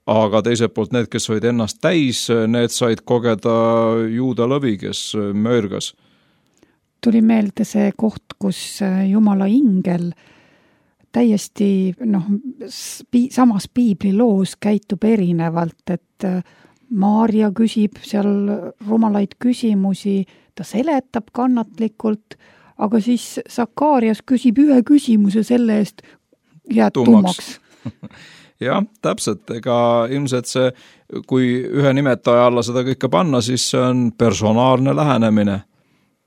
aga teiselt poolt need, kes olid ennast täis, need said kogeda juuda lõvi, kes möörgas. Tuli meelde see koht, kus Jumala ingel täiesti noh, samas piibliloos käitub erinevalt, et Maarja küsib seal rumalaid küsimusi, ta seletab kannatlikult, aga siis Sakarias küsib ühe küsimuse selle eest jääd tummaks. Jah, täpselt, ega ilmselt see, kui ühe nimetaja alla seda kõike panna, siis see on personaalne lähenemine.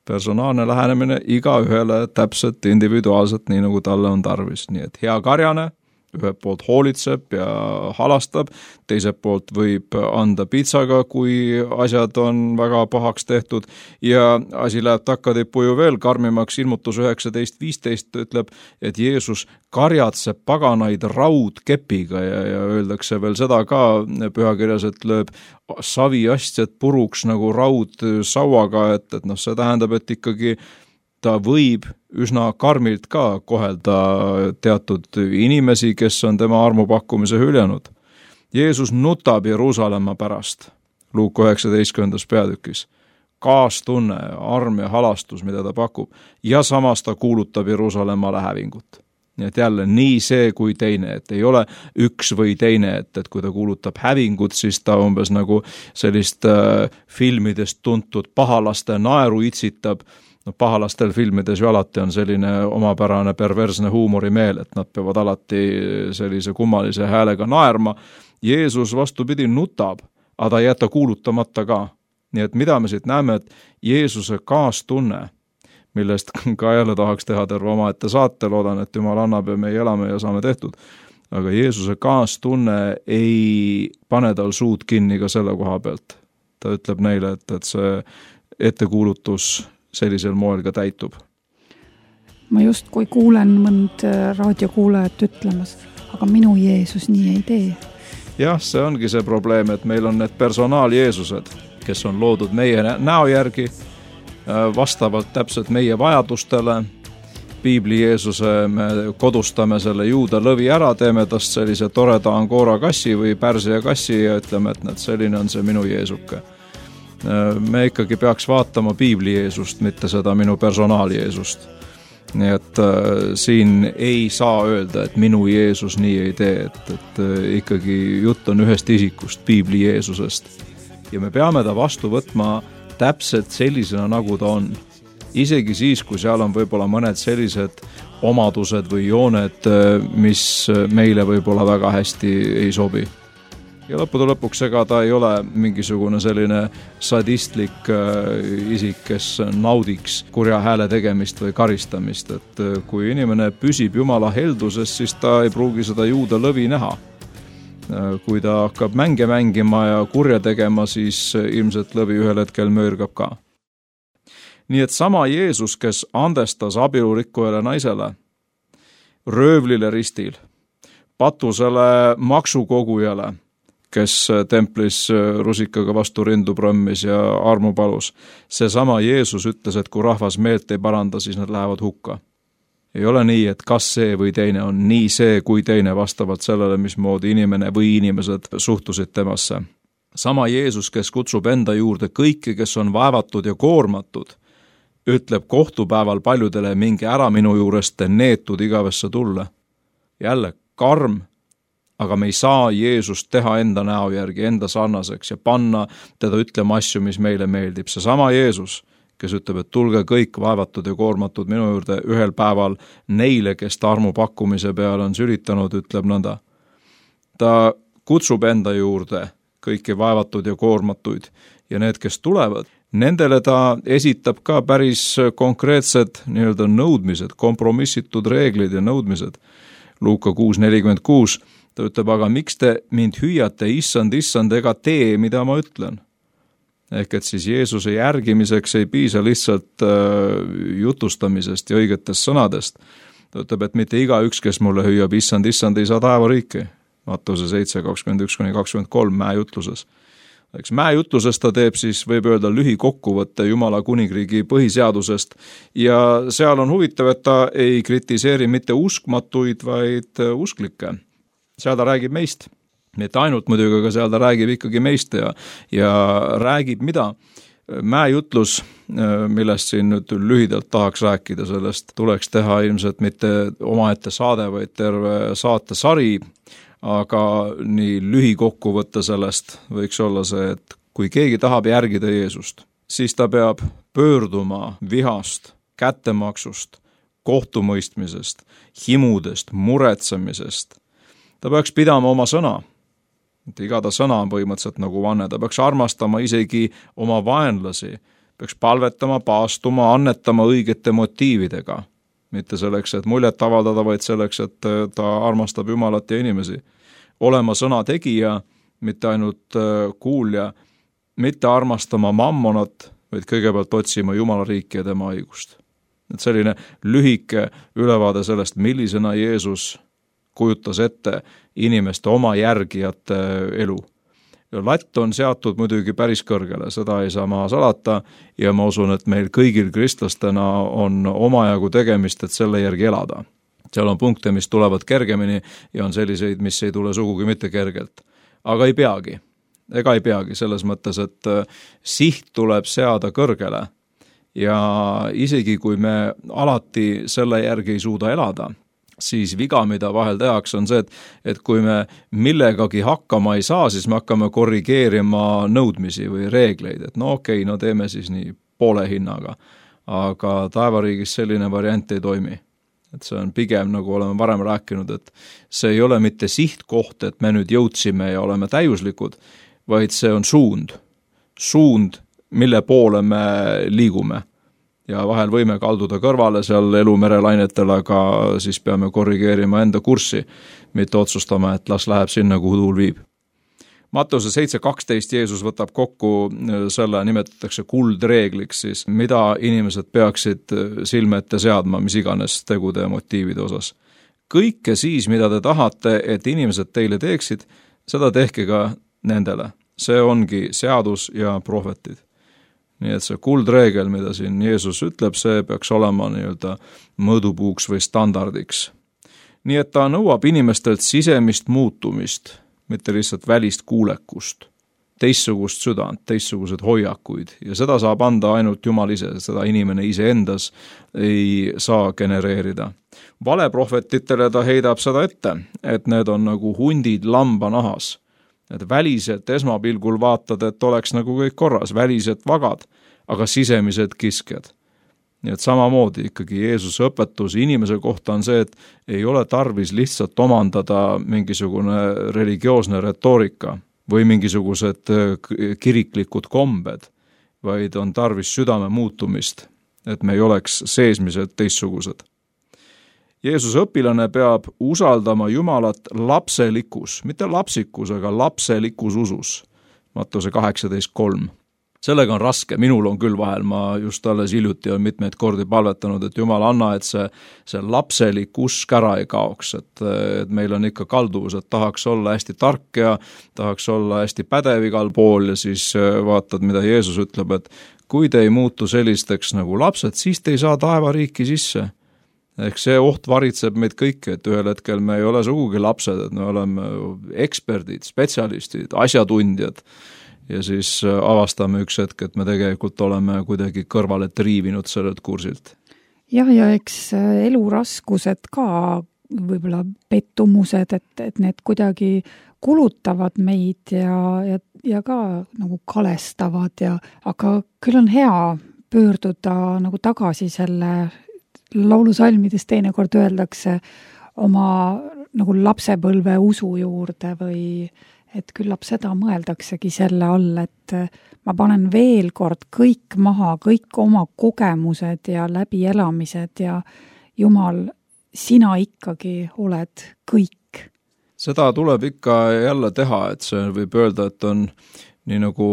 Personaalne lähenemine iga ühele täpselt individuaalselt, nii nagu talle on tarvis. Nii et hea karjane, ühelt poolt hoolitseb ja halastab, teiselt poolt võib anda piitsaga, kui asjad on väga pahaks tehtud ja asi läheb takkatippu ju veel karmimaks. Ilmutus üheksateist viisteist ütleb, et Jeesus karjatseb paganaid raudkepiga ja, ja öeldakse veel seda ka pühakirjas, et lööb saviastjad puruks nagu raud sauaga, et, et noh, see tähendab, et ikkagi ta võib üsna karmilt ka kohelda teatud inimesi, kes on tema armupakkumise hüljanud. Jeesus nutab Jeruusalemma pärast, Luuk üheksateistkümnendas peatükis. Kaastunne, arm ja halastus, mida ta pakub, ja samas ta kuulutab Jeruusalemmale hävingut. Nii et jälle nii see kui teine, et ei ole üks või teine, et, et kui ta kuulutab hävingut, siis ta umbes nagu sellist äh, filmidest tuntud pahalaste naeru itsitab. No, pahalastel filmides ju alati on selline omapärane perversne huumorimeel, et nad peavad alati sellise kummalise häälega naerma. Jeesus vastupidi nutab, aga ta ei jäta kuulutamata ka. Nii et mida me siit näeme, et Jeesuse kaastunne, millest ka jälle tahaks teha terve omaette saate, loodan, et Jumal annab ja me elame ja saame tehtud. Aga Jeesuse kaastunne ei pane tal suud kinni ka selle koha pealt. Ta ütleb neile, et, et see ettekuulutus sellisel moel ka täitub. Ma just kui kuulen mõnd raadiokuulajat ütlemas, aga minu Jeesus nii ei tee. Jah, see ongi see probleem, et meil on need personaal-Jeesused, kes on loodud meie näo järgi, vastavalt täpselt meie vajadustele. Piibli Jeesuse me kodustame selle juuda lõvi ära, teeme tast sellise toreda Angora kassi või Pärsia kassi ja ütleme, et need, selline on see minu Jeesuke. Me ikkagi peaks vaatama Piibli Jeesust, mitte seda minu personaal Jeesust. Nii et äh, siin ei saa öelda, et minu Jeesus nii ei tee, et, et äh, ikkagi jutt on ühest isikust, Piibli Jeesusest. Ja me peame ta vastu võtma täpselt sellisena, nagu ta on. Isegi siis, kui seal on võib-olla mõned sellised omadused või jooned, mis meile võib-olla väga hästi ei sobi. ja lõppude lõpuks ega ta ei ole mingisugune selline sadistlik isik, kes naudiks kurja hääle tegemist või karistamist, et kui inimene püsib Jumala helduses, siis ta ei pruugi seda juuda lõvi näha. Kui ta hakkab mänge mängima ja kurja tegema, siis ilmselt lõvi ühel hetkel möörgab ka. Nii et sama Jeesus, kes andestas abielurikkujale naisele, röövlile ristil, patusele maksukogujale, kes templis rusikaga vastu rindu prõmmis ja armu palus. See sama Jeesus ütles, et kui rahvas meelt ei paranda, siis nad lähevad hukka. Ei ole nii, et kas see või teine on nii see kui teine vastavalt sellele, mismoodi inimene või inimesed suhtusid temasse. Sama Jeesus, kes kutsub enda juurde kõiki, kes on vaevatud ja koormatud, ütleb kohtupäeval paljudele, minge ära minu juurest, te neetud igavesse tulle. Jälle karm, aga me ei saa Jeesust teha enda näo järgi, enda sarnaseks ja panna teda ütlema asju, mis meile meeldib. See sama Jeesus, kes ütleb, et tulge kõik vaevatud ja koormatud minu juurde ühel päeval neile, kes ta armu pakkumise peale on sülitanud, ütleb nõnda. Ta kutsub enda juurde kõiki vaevatud ja koormatuid ja need, kes tulevad, nendele ta esitab ka päris konkreetsed nii-öelda nõudmised, kompromissitud reeglid ja nõudmised. Luuka kuus nelikümmend kuus, ta ütleb, aga miks te mind hüüate, issand, issand, ega tee, mida ma ütlen? Ehk et siis Jeesuse järgimiseks ei piisa lihtsalt äh, jutustamisest ja õigetest sõnadest. Ta ütleb, et mitte iga üks, kes mulle hüüab, issand, issand, ei saa taevariiki. Mattuse seitse kakskümmend üks kuni kakskümmend kolm mäejutluses. Eks mäejutluses ta teeb siis, võib öelda, lühikokkuvõtte Jumala kuningriigi põhiseadusest ja seal on huvitav, et ta ei kritiseeri mitte uskmatuid, vaid usklikke. Seal ta räägib meist. Mitte ainult muidugi, aga seal ta räägib ikkagi meist ja, ja räägib mida? Mäejutlus, millest siin nüüd lühidalt tahaks rääkida, sellest tuleks teha ilmselt mitte omaette saade, vaid terve saate sari, aga nii lühikokkuvõtte sellest võiks olla see, et kui keegi tahab järgida Jeesust, siis ta peab pöörduma vihast, kättemaksust, kohtumõistmisest, himudest, muretsemisest. Ta peaks pidama oma sõna. Iga ta sõna on põhimõtteliselt nagu vanne. Ta peaks armastama isegi oma vaenlasi. Peaks palvetama, paastuma, annetama õigete motiividega. Mitte selleks, et muljet avaldada, vaid selleks, et ta armastab Jumalat ja inimesi. Olema sõna tegija, mitte ainult kuulja, mitte armastama mammonat, vaid kõigepealt otsima Jumala riiki ja tema õigust. Et selline lühike ülevaade sellest, millisena Jeesus kujutas ette inimeste oma järgijate elu. Ja latt on seatud muidugi päris kõrgele, seda ei saa maha salata ja ma usun, et meil kõigil kristlastena on omajagu tegemist, et selle järgi elada. Seal on punkte, mis tulevad kergemini ja on selliseid, mis ei tule sugugi mitte kergelt. Aga ei peagi. Ega ei peagi selles mõttes, et siht tuleb seada kõrgele ja isegi kui me alati selle järgi ei suuda elada, siis viga, mida vahel tehakse, on see, et, et kui me millegagi hakkama ei saa, siis me hakkame korrigeerima nõudmisi või reegleid, et no okei, no teeme siis nii poole hinnaga. Aga taevariigis selline variant ei toimi. Et see on pigem, nagu oleme varem rääkinud, et see ei ole mitte sihtkoht, et me nüüd jõudsime ja oleme täiuslikud, vaid see on suund. Suund, mille poole me liigume. Ja vahel võime kalduda kõrvale seal elumerelainetel, aga siis peame korrigeerima enda kurssi, mitte otsustama, et las läheb sinna, kuhu tuul viib. Mattuse seitse kaksteist Jeesus võtab kokku selle, nimetatakse kuldreegliks siis, mida inimesed peaksid silme ette seadma, mis iganes tegude ja motiivide osas. Kõike siis, mida te tahate, et inimesed teile teeksid, seda tehke ka nendele. See ongi seadus ja prohvetid. Nii et see kuldreegel, mida siin Jeesus ütleb, see peaks olema nii-öelda mõõdupuuks või standardiks. Nii et ta nõuab inimestelt sisemist muutumist, mitte lihtsalt välist kuulekust, teistsugust südant, teistsugused hoiakuid ja seda saab anda ainult Jumal ise, seda inimene ise endas ei saa genereerida. Valeprohvetitele ta heidab seda ette, et need on nagu hundid lamba nahas. Et väliselt esmapilgul vaatad, et oleks nagu kõik korras, väliselt vagad, aga sisemised kiskjad. Nii et samamoodi ikkagi Jeesuse õpetus inimese kohta on see, et ei ole tarvis lihtsalt omandada mingisugune religioosne retoorika, või mingisugused kiriklikud kombed, vaid on tarvis südame muutumist, et me ei oleks seesmised teistsugused. Jeesuse õpilane peab usaldama Jumalat lapselikus, mitte lapsikus, aga lapselikus usus. Mattuse kaheksateist kolm. Sellega on raske, minul on küll vahel, ma just alles hiljuti on mitmeid kordi palvetanud, et Jumal anna, et see, see lapselik usk ära ei kaoks, et, et meil on ikka kalduvus, et tahaks olla hästi tark ja tahaks olla hästi pädev igal pool ja siis vaatad, mida Jeesus ütleb, et kui te ei muutu sellisteks nagu lapsed, siis te ei saa taevariiki sisse. Ehk see oht varitseb meid kõiki, et ühel hetkel me ei ole sugugi lapsed, et me oleme eksperdid, spetsialistid, asjatundjad ja siis avastame üks hetk, et me tegelikult oleme kuidagi kõrvale triivinud sellelt kursilt. Jah, ja eks eluraskused ka, võib-olla pettumused, et, et need kuidagi kulutavad meid ja, ja, ja ka nagu kalestavad, ja, aga küll on hea pöörduda nagu tagasi selle laulusalmides teinekord öeldakse oma nagu lapsepõlve usu juurde või et küllap seda mõeldaksegi selle all, et ma panen veel kord kõik maha, kõik oma kogemused ja läbielamised ja Jumal, sina ikkagi oled kõik. Seda tuleb ikka jälle teha, et see võib öelda, et on nii nagu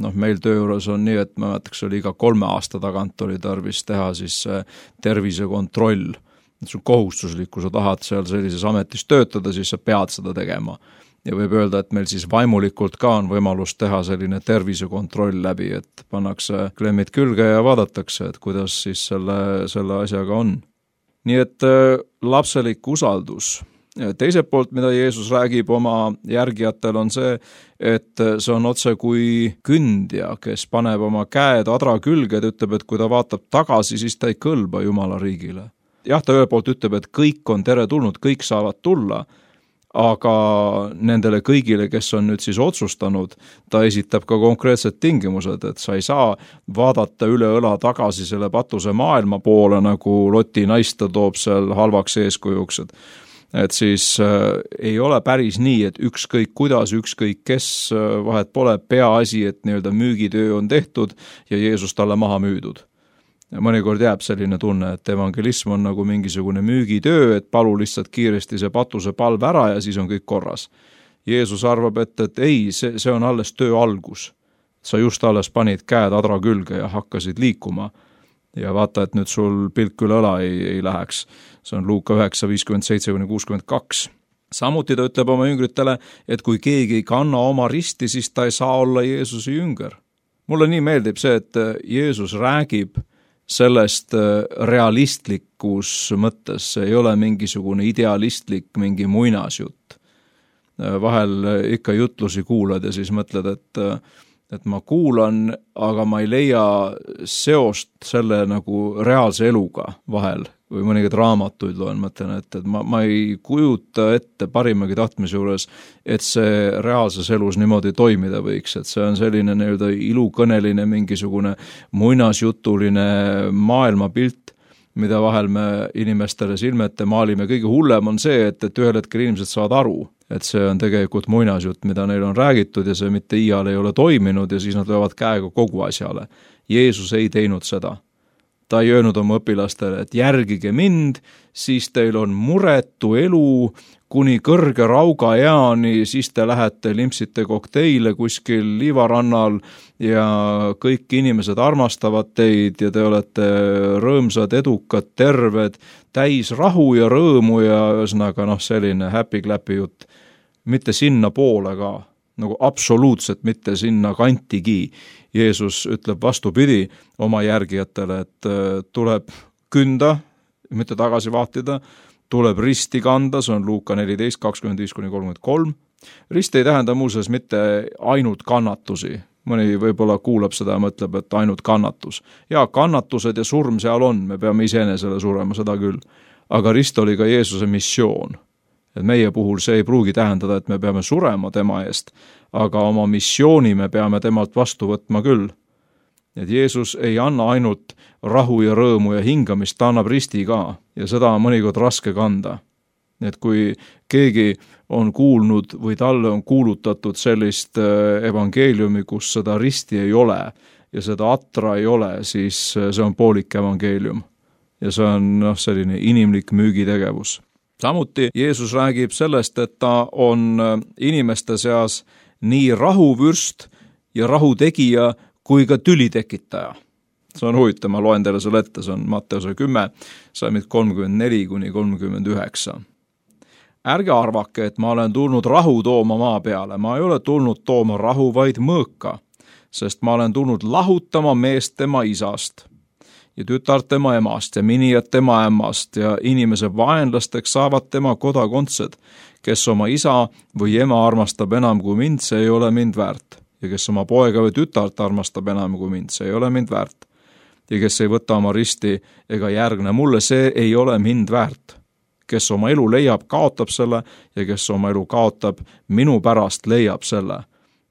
noh, meil töö juures on nii, et ma mäletaks, oli iga kolme aasta tagant oli tarvis teha siis tervisekontroll. See on kohustuslik, kui sa tahad seal sellises ametis töötada, siis sa pead seda tegema. Ja võib öelda, et meil siis vaimulikult ka on võimalus teha selline tervisekontroll läbi, et pannakse klemmid külge ja vaadatakse, et kuidas siis selle, selle asjaga on. Nii et lapselik usaldus. Teiselt poolt, mida Jeesus räägib oma järgijatel, on see, et see on otse kui kündja, kes paneb oma käed adra külge, et ütleb, et kui ta vaatab tagasi, siis ta ei kõlba Jumala riigile. Jah, ta ühelt poolt ütleb, et kõik on teretulnud, kõik saavad tulla, aga nendele kõigile, kes on nüüd siis otsustanud, ta esitab ka konkreetsed tingimused, et sa ei saa vaadata üle õla tagasi selle patuse maailma poole, nagu Loti naista toob seal halvaks eeskujuks, et et siis äh, ei ole päris nii, et ükskõik kuidas, ükskõik kes äh, vahet pole, peaasi, et nii-öelda müügitöö on tehtud ja Jeesus talle maha müüdud. Ja mõnikord jääb selline tunne, et evangelism on nagu mingisugune müügitöö, et palu lihtsalt kiiresti see patuse palv ära ja siis on kõik korras. Jeesus arvab, et, et ei, see, see on alles töö algus. Sa just alles panid käed adra külge ja hakkasid liikuma. Ja vaata, et nüüd sul pilk üle õla ei, ei läheks. See on Luuka üheksa viiskümmend seitse kuni kuuskümmend kaks. Samuti ta ütleb oma jüngritele, et kui keegi ei kanna oma risti, siis ta ei saa olla Jeesuse jünger. Mulle nii meeldib see, et Jeesus räägib sellest realistlikus mõttes, see ei ole mingisugune idealistlik, mingi muinasjutt. Vahel ikka jutlusi kuulad ja siis mõtled, et et ma kuulan, aga ma ei leia seost selle nagu reaalse eluga vahel või mõningaid raamatuid loen, mõtlen, et, et ma, ma ei kujuta ette parimagi tahtmise juures, et see reaalses elus niimoodi toimida võiks, et see on selline nii-öelda ilukõneline mingisugune muinasjutuline maailmapilt, mida vahel me inimestele silme ette maalime. Kõige hullem on see, et, et ühel hetkel inimesed saavad aru, et see on tegelikult muinasjutt, mida neil on räägitud ja see mitte iial ei ole toiminud ja siis nad löövad käega kogu asjale. Jeesus ei teinud seda. Ta ei öelnud oma õpilastele, et järgige mind, siis teil on muretu elu kuni kõrge rauga eani, siis te lähete limpsite kokteile kuskil liivarannal ja kõik inimesed armastavad teid ja te olete rõõmsad, edukad, terved, täis rahu ja rõõmu ja ühesõnaga noh, selline happy-clappy jutt. Mitte sinna poole ka, nagu absoluutselt mitte sinna kantigi. Jeesus ütleb vastupidi oma järgijatele, et tuleb künda, mitte tagasi vaatida, tuleb risti kanda, see on Luuka neliteist kakskümmend viis kuni kolmkümmend kolm. Rist ei tähenda muuseas mitte ainult kannatusi. Mõni võib-olla kuulab seda ja mõtleb, et ainult kannatus. Ja kannatused ja surm seal on, me peame iseenesele surema, seda küll. Aga rist oli ka Jeesuse missioon. Et meie puhul see ei pruugi tähendada, et me peame surema tema eest, aga oma missiooni me peame temalt vastu võtma küll. Et Jeesus ei anna ainult rahu ja rõõmu ja hingamist, ta annab risti ka ja seda on mõnikord raske kanda. et kui keegi on kuulnud või talle on kuulutatud sellist evangeeliumi, kus seda risti ei ole ja seda atra ei ole, siis see on poolik evangeelium. Ja see on noh, selline inimlik müügitegevus. Samuti Jeesus räägib sellest, et ta on inimeste seas nii rahuvürst ja rahutegija kui ka tülitekitaja. See on huvitav, ma loen teile selle ette, see on Matteuse kümme, salmid kolmkümmend neli kuni kolmkümmend üheksa. Ärge arvake, et ma olen tulnud rahu tooma maa peale, ma ei ole tulnud tooma rahu, vaid mõõka, sest ma olen tulnud lahutama meest tema isast ja tütart tema emast ja minijad tema ämmast ja inimese vaenlasteks saavad tema kodakondsed, kes oma isa või ema armastab enam kui mind, see ei ole mind väärt. Ja kes oma poega või tütart armastab enam kui mind, see ei ole mind väärt. Ja kes ei võta oma risti ega järgne mulle, see ei ole mind väärt. Kes oma elu leiab, kaotab selle ja kes oma elu kaotab, minu pärast leiab selle.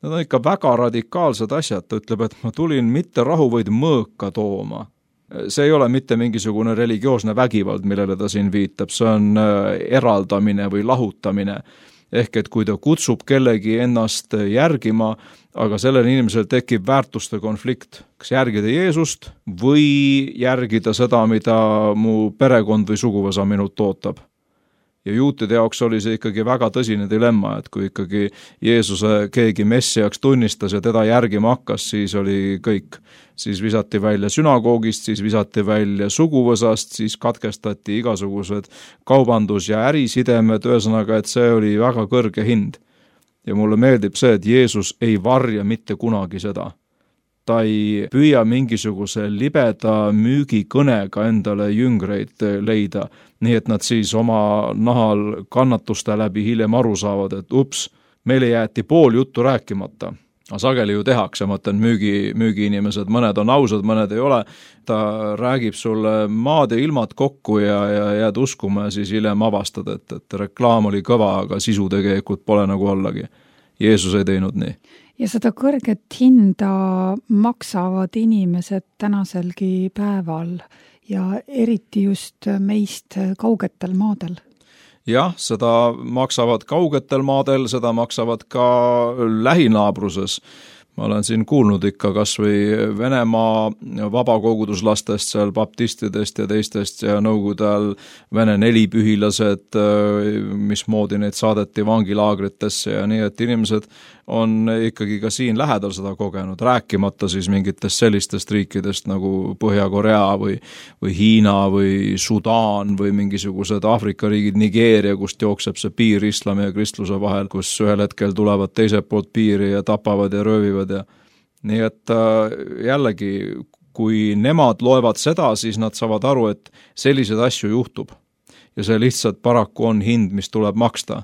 Need on ikka väga radikaalsed asjad, ta ütleb, et ma tulin mitte rahu, vaid mõõka tooma. See ei ole mitte mingisugune religioosne vägivald, millele ta siin viitab, see on eraldamine või lahutamine. Ehk et kui ta kutsub kellegi ennast järgima, aga sellel inimesel tekib väärtuste konflikt, kas järgida Jeesust või järgida seda, mida mu perekond või suguvõsa minult ootab. Ja juutide jaoks oli see ikkagi väga tõsine dilemma, et kui ikkagi Jeesuse keegi messiaks tunnistas ja teda järgima hakkas, siis oli kõik. Siis visati välja sünagoogist, siis visati välja suguvõsast, siis katkestati igasugused kaubandus- ja ärisidemed, ühesõnaga, et see oli väga kõrge hind. Ja mulle meeldib see, et Jeesus ei varja mitte kunagi seda. Ta ei püüa mingisuguse libeda müügikõnega endale jüngreid leida, nii et nad siis oma nahal kannatuste läbi hiljem aru saavad, et ups, meile jäeti pool juttu rääkimata. Sageli ju tehakse, ma mõtlen müügi, müügiinimesed, mõned on ausad, mõned ei ole. Ta räägib sulle maad ja ilmad kokku ja, ja jääd uskuma ja siis hiljem avastad, et, et reklaam oli kõva, aga sisu tegelikult pole nagu ollagi. Jeesus ei teinud nii. Ja seda kõrget hinda maksavad inimesed tänaselgi päeval ja eriti just meist kaugetel maadel. Jah, seda maksavad kaugetel maadel, seda maksavad ka lähinaabruses. Ma olen siin kuulnud ikka kas või Venemaa vabakoguduslastest, seal baptistidest ja teistest ja nõukogude ajal Vene nelipühilased, mismoodi neid saadeti vangilaagritesse ja nii, et inimesed on ikkagi ka siin lähedal seda kogenud, rääkimata siis mingitest sellistest riikidest nagu Põhja-Korea või, või Hiina või Sudaan või mingisugused Aafrika riigid, Nigeeria, kust jookseb see piir islami ja kristluse vahel, kus ühel hetkel tulevad teiselt poolt piiri ja tapavad ja röövivad. Ja nii et jällegi, kui nemad loevad seda, siis nad saavad aru, et sellised asju juhtub. Ja see lihtsalt paraku on hind, mis tuleb maksta.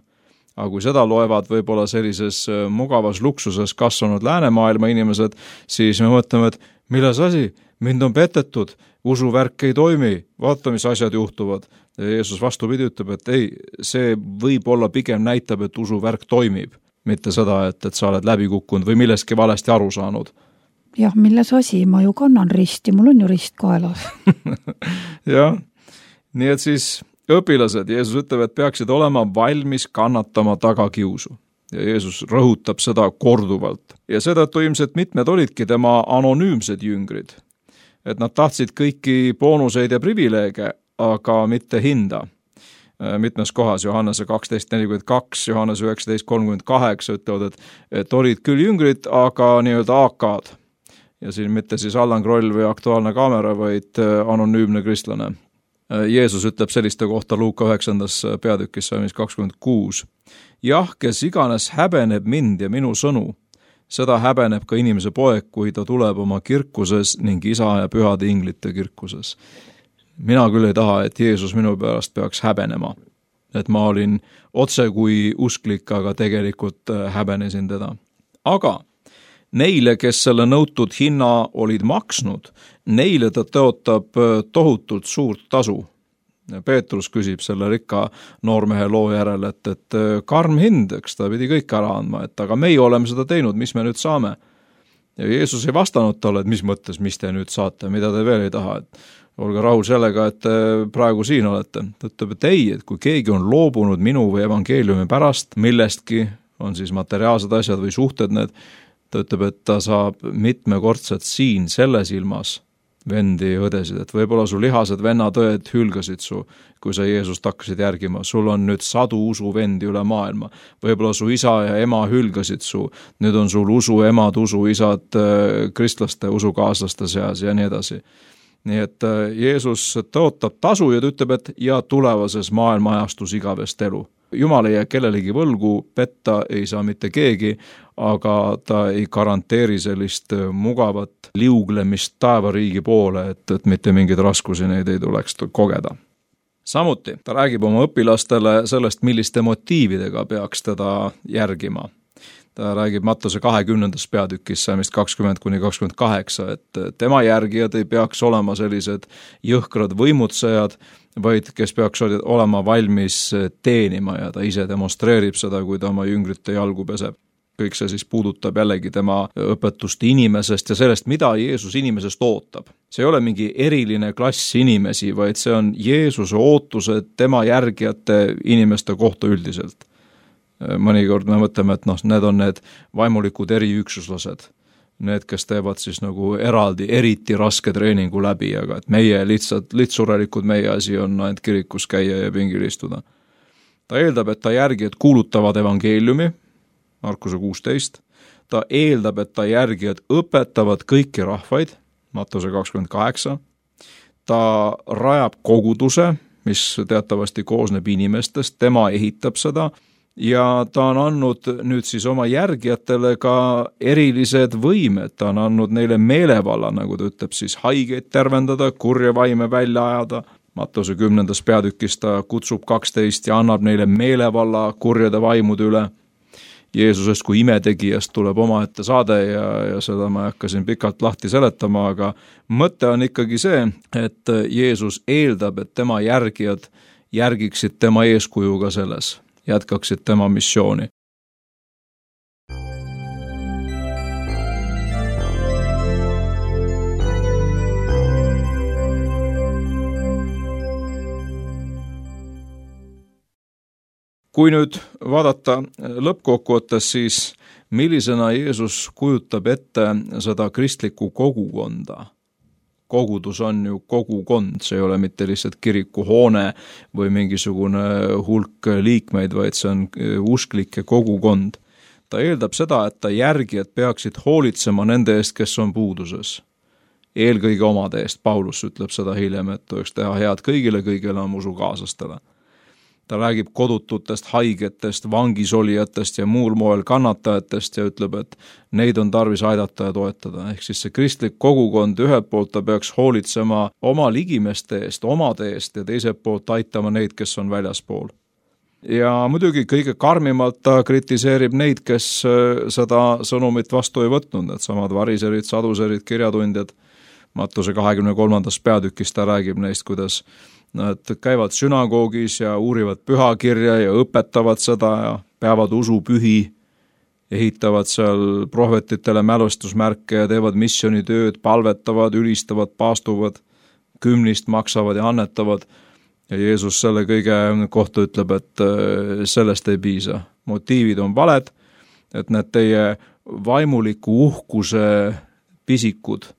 Aga kui seda loevad võib-olla sellises mugavas luksuses kasvanud läänemaailma inimesed, siis me mõtleme, et milles asi? Mind on petetud, usuvärk ei toimi, vaata, mis asjad juhtuvad. Ja Jeesus vastupidi ütleb, et ei, see võib-olla pigem näitab, et usuvärk toimib. Mitte seda, et, et sa oled läbi kukkunud või milleski valesti aru saanud. Jah, milles asi, ma ju kannan risti, mul on ju rist kaelas. Jah, nii et siis õpilased, Jeesus ütleb, et peaksid olema valmis kannatama tagakiusu. Ja Jeesus rõhutab seda korduvalt. Ja seetõttu ilmselt mitmed olidki tema anonüümsed jüngrid. Et nad tahtsid kõiki boonuseid ja privileege, aga mitte hinda. Mitmes kohas, Johannese kaksteist nelikümmend kaks, Johannese üheksateist kolmkümmend kaheksa ütlevad, et, et olid küll jüngrid, aga nii-öelda A K-d. Ja siin mitte siis Allan Kroll või Aktuaalne kaamera, vaid anonüümne kristlane. Jeesus ütleb selliste kohta Luuka üheksandas peatükis, mis kakskümmend kuus. Jah, kes iganes häbeneb mind ja minu sõnu, seda häbeneb ka inimese poeg, kui ta tuleb oma kirkuses ning isa ja pühade inglite kirkuses. Mina küll ei taha, et Jeesus minu pärast peaks häbenema. Et ma olin otse kui usklik, aga tegelikult häbenesin teda. Aga neile, kes selle nõutud hinna olid maksnud, neile ta tõotab tohutult suurt tasu. Peetrus küsib selle rikka noormehe loo järel, et, et karm hind, eks ta pidi kõik ära andma, et aga meie oleme seda teinud, mis me nüüd saame? Ja Jeesus ei vastanud talle, et mis mõttes, mis te nüüd saate, mida te veel ei taha, et olge rahul sellega, et te praegu siin olete. Ta ütleb, et ei, et kui keegi on loobunud minu või evangeeliumi pärast millestki, on siis materiaalsed asjad või suhted need, ta ütleb, et ta saab mitmekordselt siin selles ilmas vendi ja õdesid, et võib-olla su lihased vennatõed hülgasid su, kui sa Jeesust hakkasid järgima. Sul on nüüd sadu usuvendi üle maailma. Võib-olla su isa ja ema hülgasid su. Nüüd on sul usu emad, usu isad kristlaste usukaaslaste seas ja nii edasi. Nii et Jeesus tõotab tasu ja ta ütleb, et ja tulevases maailma ajastus igavest elu. Jumal ei jää kellelegi võlgu, petta ei saa mitte keegi, aga ta ei garanteeri sellist mugavat liuglemist taevariigi poole, et, et mitte mingeid raskusi neid ei tuleks kogeda. Samuti ta räägib oma õpilastele sellest, milliste motiividega peaks teda järgima. Ta räägib Mattuse kahekümnendas peatükis saamist kakskümmend kuni kakskümmend kaheksa, et tema järgijad ei peaks olema sellised jõhkrad võimutsejad, vaid kes peaks olema valmis teenima ja ta ise demonstreerib seda, kui ta oma jüngrite jalgu peseb. Kõik see siis puudutab jällegi tema õpetust inimesest ja sellest, mida Jeesus inimesest ootab. See ei ole mingi eriline klass inimesi, vaid see on Jeesuse ootused tema järgijate inimeste kohta üldiselt. Mõnikord me mõtleme, et noh, need on need vaimulikud eriüksuslased. Need, kes teevad siis nagu eraldi, eriti raske treeningu läbi, aga et meie lihtsalt, lihtsurelikud meie asi on ainult kirikus käia ja pingil istuda. Ta eeldab, et ta järgijad kuulutavad evangeeliumi, Markuse kuusteist, ta eeldab, et ta järgijad õpetavad kõiki rahvaid, Mattuse kakskümmend kaheksa, ta rajab koguduse, mis teatavasti koosneb inimestest, tema ehitab seda, ja ta on andnud nüüd siis oma järgijatele ka erilised võimed, ta on andnud neile meelevalla, nagu ta ütleb, siis haigeid tervendada, kurja vaime välja ajada. Mattuse kümnendas peatükis ta kutsub kaksteist ja annab neile meelevalla kurjade vaimude üle. Jeesusest kui imetegijast tuleb omaette saade ja, ja seda ma hakkasin pikalt lahti seletama, aga mõte on ikkagi see, et Jeesus eeldab, et tema järgijad järgiksid tema eeskujuga selles, jätkaksid tema missiooni. Kui nüüd vaadata lõppkokkuvõttes, siis millisena Jeesus kujutab ette seda kristlikku kogukonda? Kogudus on ju kogukond, see ei ole mitte lihtsalt kirikuhoone või mingisugune hulk liikmeid, vaid see on usklike kogukond. Ta eeldab seda, et ta järgijad peaksid hoolitsema nende eest, kes on puuduses. Eelkõige omade eest, Paulus ütleb seda hiljem, et tuleks teha head kõigile, kõigile oma usukaaslastele. Ta räägib kodututest, haigetest, vangisolijatest ja muul moel kannatajatest ja ütleb, et neid on tarvis aidata ja toetada. Ehk siis see kristlik kogukond ühelt poolt ta peaks hoolitsema oma ligimeste eest, omade eest ja teiselt poolt aitama neid, kes on väljaspool. Ja muidugi kõige karmimalt ta kritiseerib neid, kes seda sõnumit vastu ei võtnud, need samad variserid, saduserid, kirjatundjad. Mattuse kahekümne kolmandas peatükis ta räägib neist, kuidas nad käivad sünagoogis ja uurivad pühakirja ja õpetavad seda ja peavad usupühi, ehitavad seal prohvetitele mälestusmärke ja teevad missioonitööd, palvetavad, ülistavad, paastuvad, kümnist maksavad ja annetavad. Ja Jeesus selle kõige kohta ütleb, et sellest ei piisa. Motiivid on valed, et need teie vaimuliku uhkuse pisikud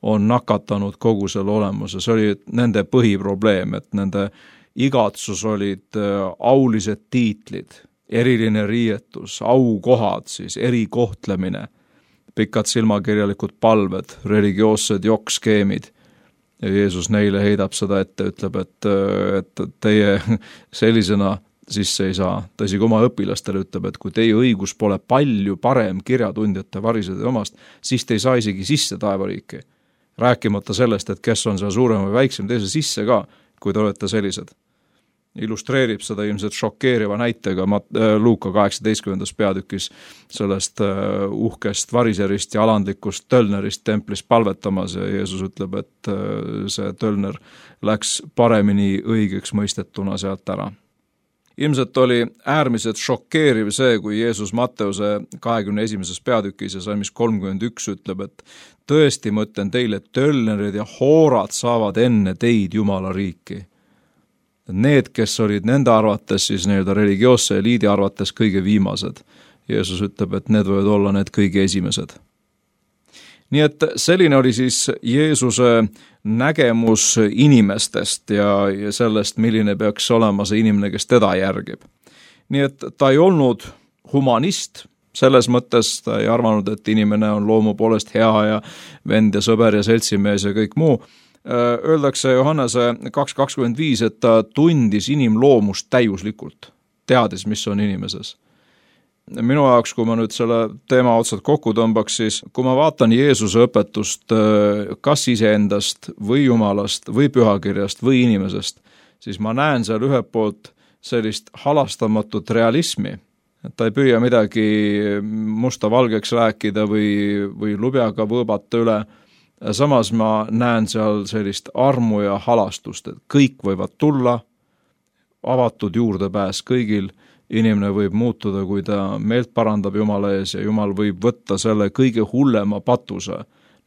on nakatanud kogu selle olemuse. See oli nende põhiprobleem, et nende igatsus olid aulised tiitlid, eriline riietus, aukohad, siis erikohtlemine, pikad silmakirjalikud palved, religioossed jokkskeemid. Ja Jeesus neile heidab seda ette, ütleb, et, et teie sellisena sisse ei saa. Ta isegi oma õpilastele ütleb, et kui teie õigus pole palju parem kirjatundjate varisede omast, siis te ei saa isegi sisse taevariiki. Rääkimata sellest, et kes on seal suurem või väiksem, teise sisse ka, kui te olete sellised. Illustreerib seda ilmselt šokeeriva näitega Luuka kaheksateistkümnendas peatükis sellest uhkest variserist ja alandlikust tölnerist templis palvetamas ja Jeesus ütleb, et see tölner läks paremini õigeks mõistetuna sealt ära. ilmselt oli äärmiselt šokeeriv see, kui Jeesus Matteuse kahekümne esimeses peatükis ja salmis kolmkümmend üks ütleb, et tõesti ma ütlen teile, tölnerid ja hoorad saavad enne teid Jumala riiki. Need, kes olid nende arvates, siis nii-öelda religioosse eliidi arvates kõige viimased. Jeesus ütleb, et need võivad olla need kõige esimesed. Nii et selline oli siis Jeesuse nägemus inimestest ja, ja sellest, milline peaks olema see inimene, kes teda järgib. Nii et ta ei olnud humanist, selles mõttes ta ei arvanud, et inimene on loomu poolest hea ja vend ja sõber ja seltsimees ja kõik muu. Öeldakse Johannese kaks kakskümmend viis, et ta tundis inimloomust täiuslikult, teadis, mis on inimeses. Minu jaoks, kui ma nüüd selle teema otsad kokku tõmbaks, siis kui ma vaatan Jeesuse õpetust kas iseendast või Jumalast või pühakirjast või inimesest, siis ma näen seal ühelt poolt sellist halastamatut realismi. Et ta ei püüa midagi musta valgeks rääkida või, või lubjaga võõbata üle. Samas ma näen seal sellist armu ja halastust, et kõik võivad tulla, avatud juurdepääs kõigil. Inimene võib muutuda, kui ta meelt parandab Jumala ees ja Jumal võib võtta selle kõige hullema patuse,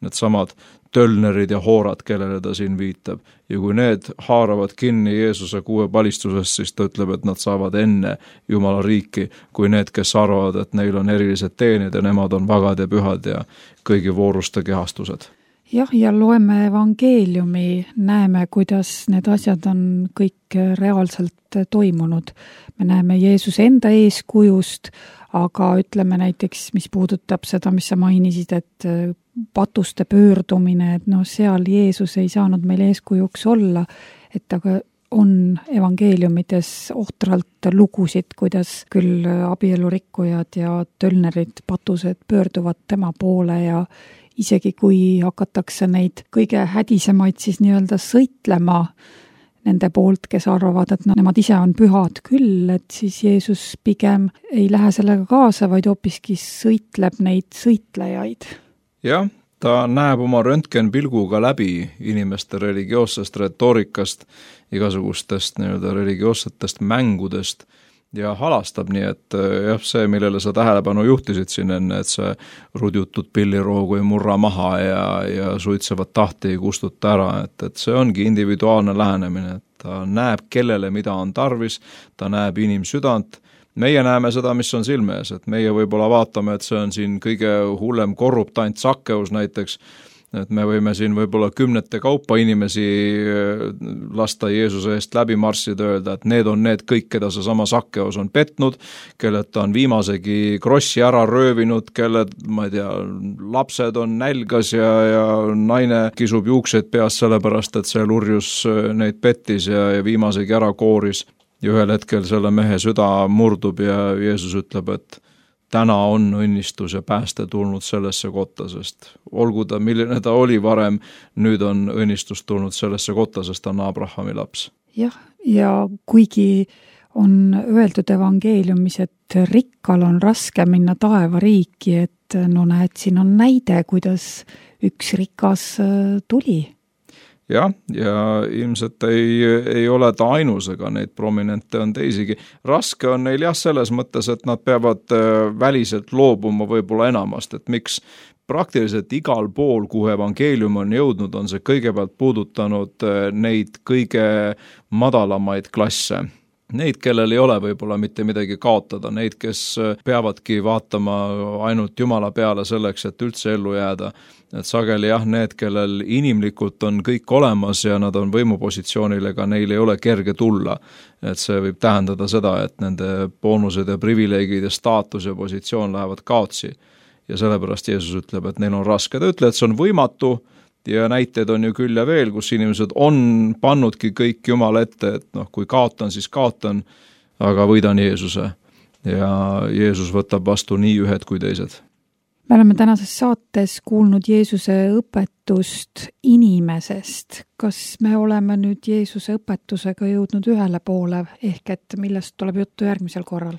need samad tölnerid ja hoorad, kellele ta siin viitab. Ja kui need haaravad kinni Jeesuse kuue palistusest, siis ta ütleb, et nad saavad enne Jumala riiki, kui need, kes arvavad, et neil on erilised teenid ja nemad on vagad ja pühad ja kõigi vooruste kehastused. Jah, ja loeme evangeeliumi, näeme, kuidas need asjad on kõik reaalselt toimunud. Me näeme Jeesuse enda eeskujust, aga ütleme näiteks, mis puudutab seda, mis sa mainisid, et patuste pöördumine, et no seal Jeesus ei saanud meil eeskujuks olla, et aga on evangeeliumides ohtralt lugusid, kuidas küll abielurikkujad ja tölnerid, patused pöörduvad tema poole ja isegi kui hakatakse neid kõige hädisemaid siis nii-öelda sõitlema nende poolt, kes arvavad, et no, nemad ise on pühad küll, et siis Jeesus pigem ei lähe sellega kaasa, vaid hoopiski sõitleb neid sõitlejaid. Jah, ta näeb oma röntgenpilguga läbi inimeste religioossest retoorikast, igasugustest nii-öelda religioossetest mängudest ja halastab, nii et jah, see, millele sa tähelepanu juhtisid siin enne, et see rudjutud pilliroogu ei murra maha ja, ja suitsevat tahti ei kustuta ära, et, et see ongi individuaalne lähenemine, et ta näeb, kellele mida on tarvis, ta näeb inimsüdant, meie näeme seda, mis on silme ees, et meie võib-olla vaatame, et see on siin kõige hullem korruptant Sakkeus näiteks, et me võime siin võib-olla kümnete kaupa inimesi lasta Jeesuse eest läbi marssida, öelda, et need on need kõik, keda see sama Sakkeus on petnud, kellelt ta on viimasegi krossi ära röövinud, kelle, ma ei tea, lapsed on nälgas ja, ja naine kisub juuksed peas sellepärast, et see lurjus neid pettis ja, ja viimasegi ära kooris. Ja ühel hetkel selle mehe süda murdub ja Jeesus ütleb, et täna on õnnistus ja pääste tulnud sellesse kotta, sest olgu ta, milline ta oli varem, nüüd on õnnistus tulnud sellesse kotta, sest ta on Abrahami laps. Jah, ja kuigi on öeldud evangeeliumis, et rikkal on raske minna taevariiki, et no näed, siin on näide, kuidas üks rikas tuli. Jah, ja ilmselt ei, ei ole ta ainus, ega neid prominente on teisigi. Raske on neil jah selles mõttes, et nad peavad väliselt loobuma võib-olla enamast, et miks praktiliselt igal pool, kuhu evangeelium on jõudnud, on see kõigepealt puudutanud neid kõige madalamaid klasse. Neid, kellel ei ole võib-olla mitte midagi kaotada, neid, kes peavadki vaatama ainult Jumala peale selleks, et üldse ellu jääda. Et sageli jah, need, kellel inimlikult on kõik olemas ja nad on võimupositsioonil, ega neil ei ole kerge tulla. Et see võib tähendada seda, et nende boonused ja privileegid ja staatus ja positsioon lähevad kaotsi. Ja sellepärast Jeesus ütleb, et neil on raske. Ta ütleb, et see on võimatu. Ja näiteid on ju küll ja veel, kus inimesed on pannudki kõik Jumala ette, et noh, kui kaotan, siis kaotan, aga võidan Jeesuse. Ja Jeesus võtab vastu nii ühed kui teised. Me oleme tänases saates kuulnud Jeesuse õpetust inimesest. Kas me oleme nüüd Jeesuse õpetusega jõudnud ühele poole, ehk et millest tuleb juttu järgmisel korral?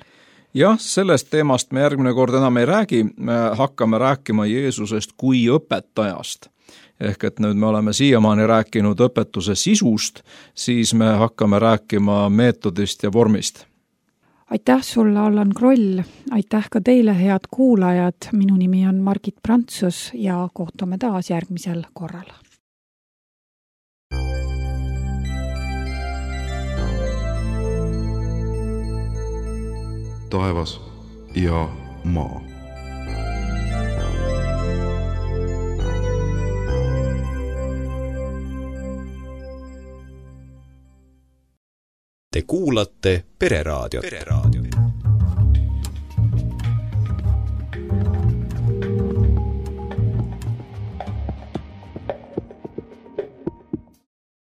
Jah, sellest teemast me järgmine kord enam ei räägi, me hakkame rääkima Jeesusest kui õpetajast. Ehk et nüüd me oleme siiamaani rääkinud õpetuse sisust, siis me hakkame rääkima meetodist ja vormist. aitäh sulle, Allan Kroll, aitäh ka teile, head kuulajad, minu nimi on Margit Prantsus ja kohtume taas järgmisel korral. Taevas ja maa. Te kuulate Pereraadiot. Pereraadiot.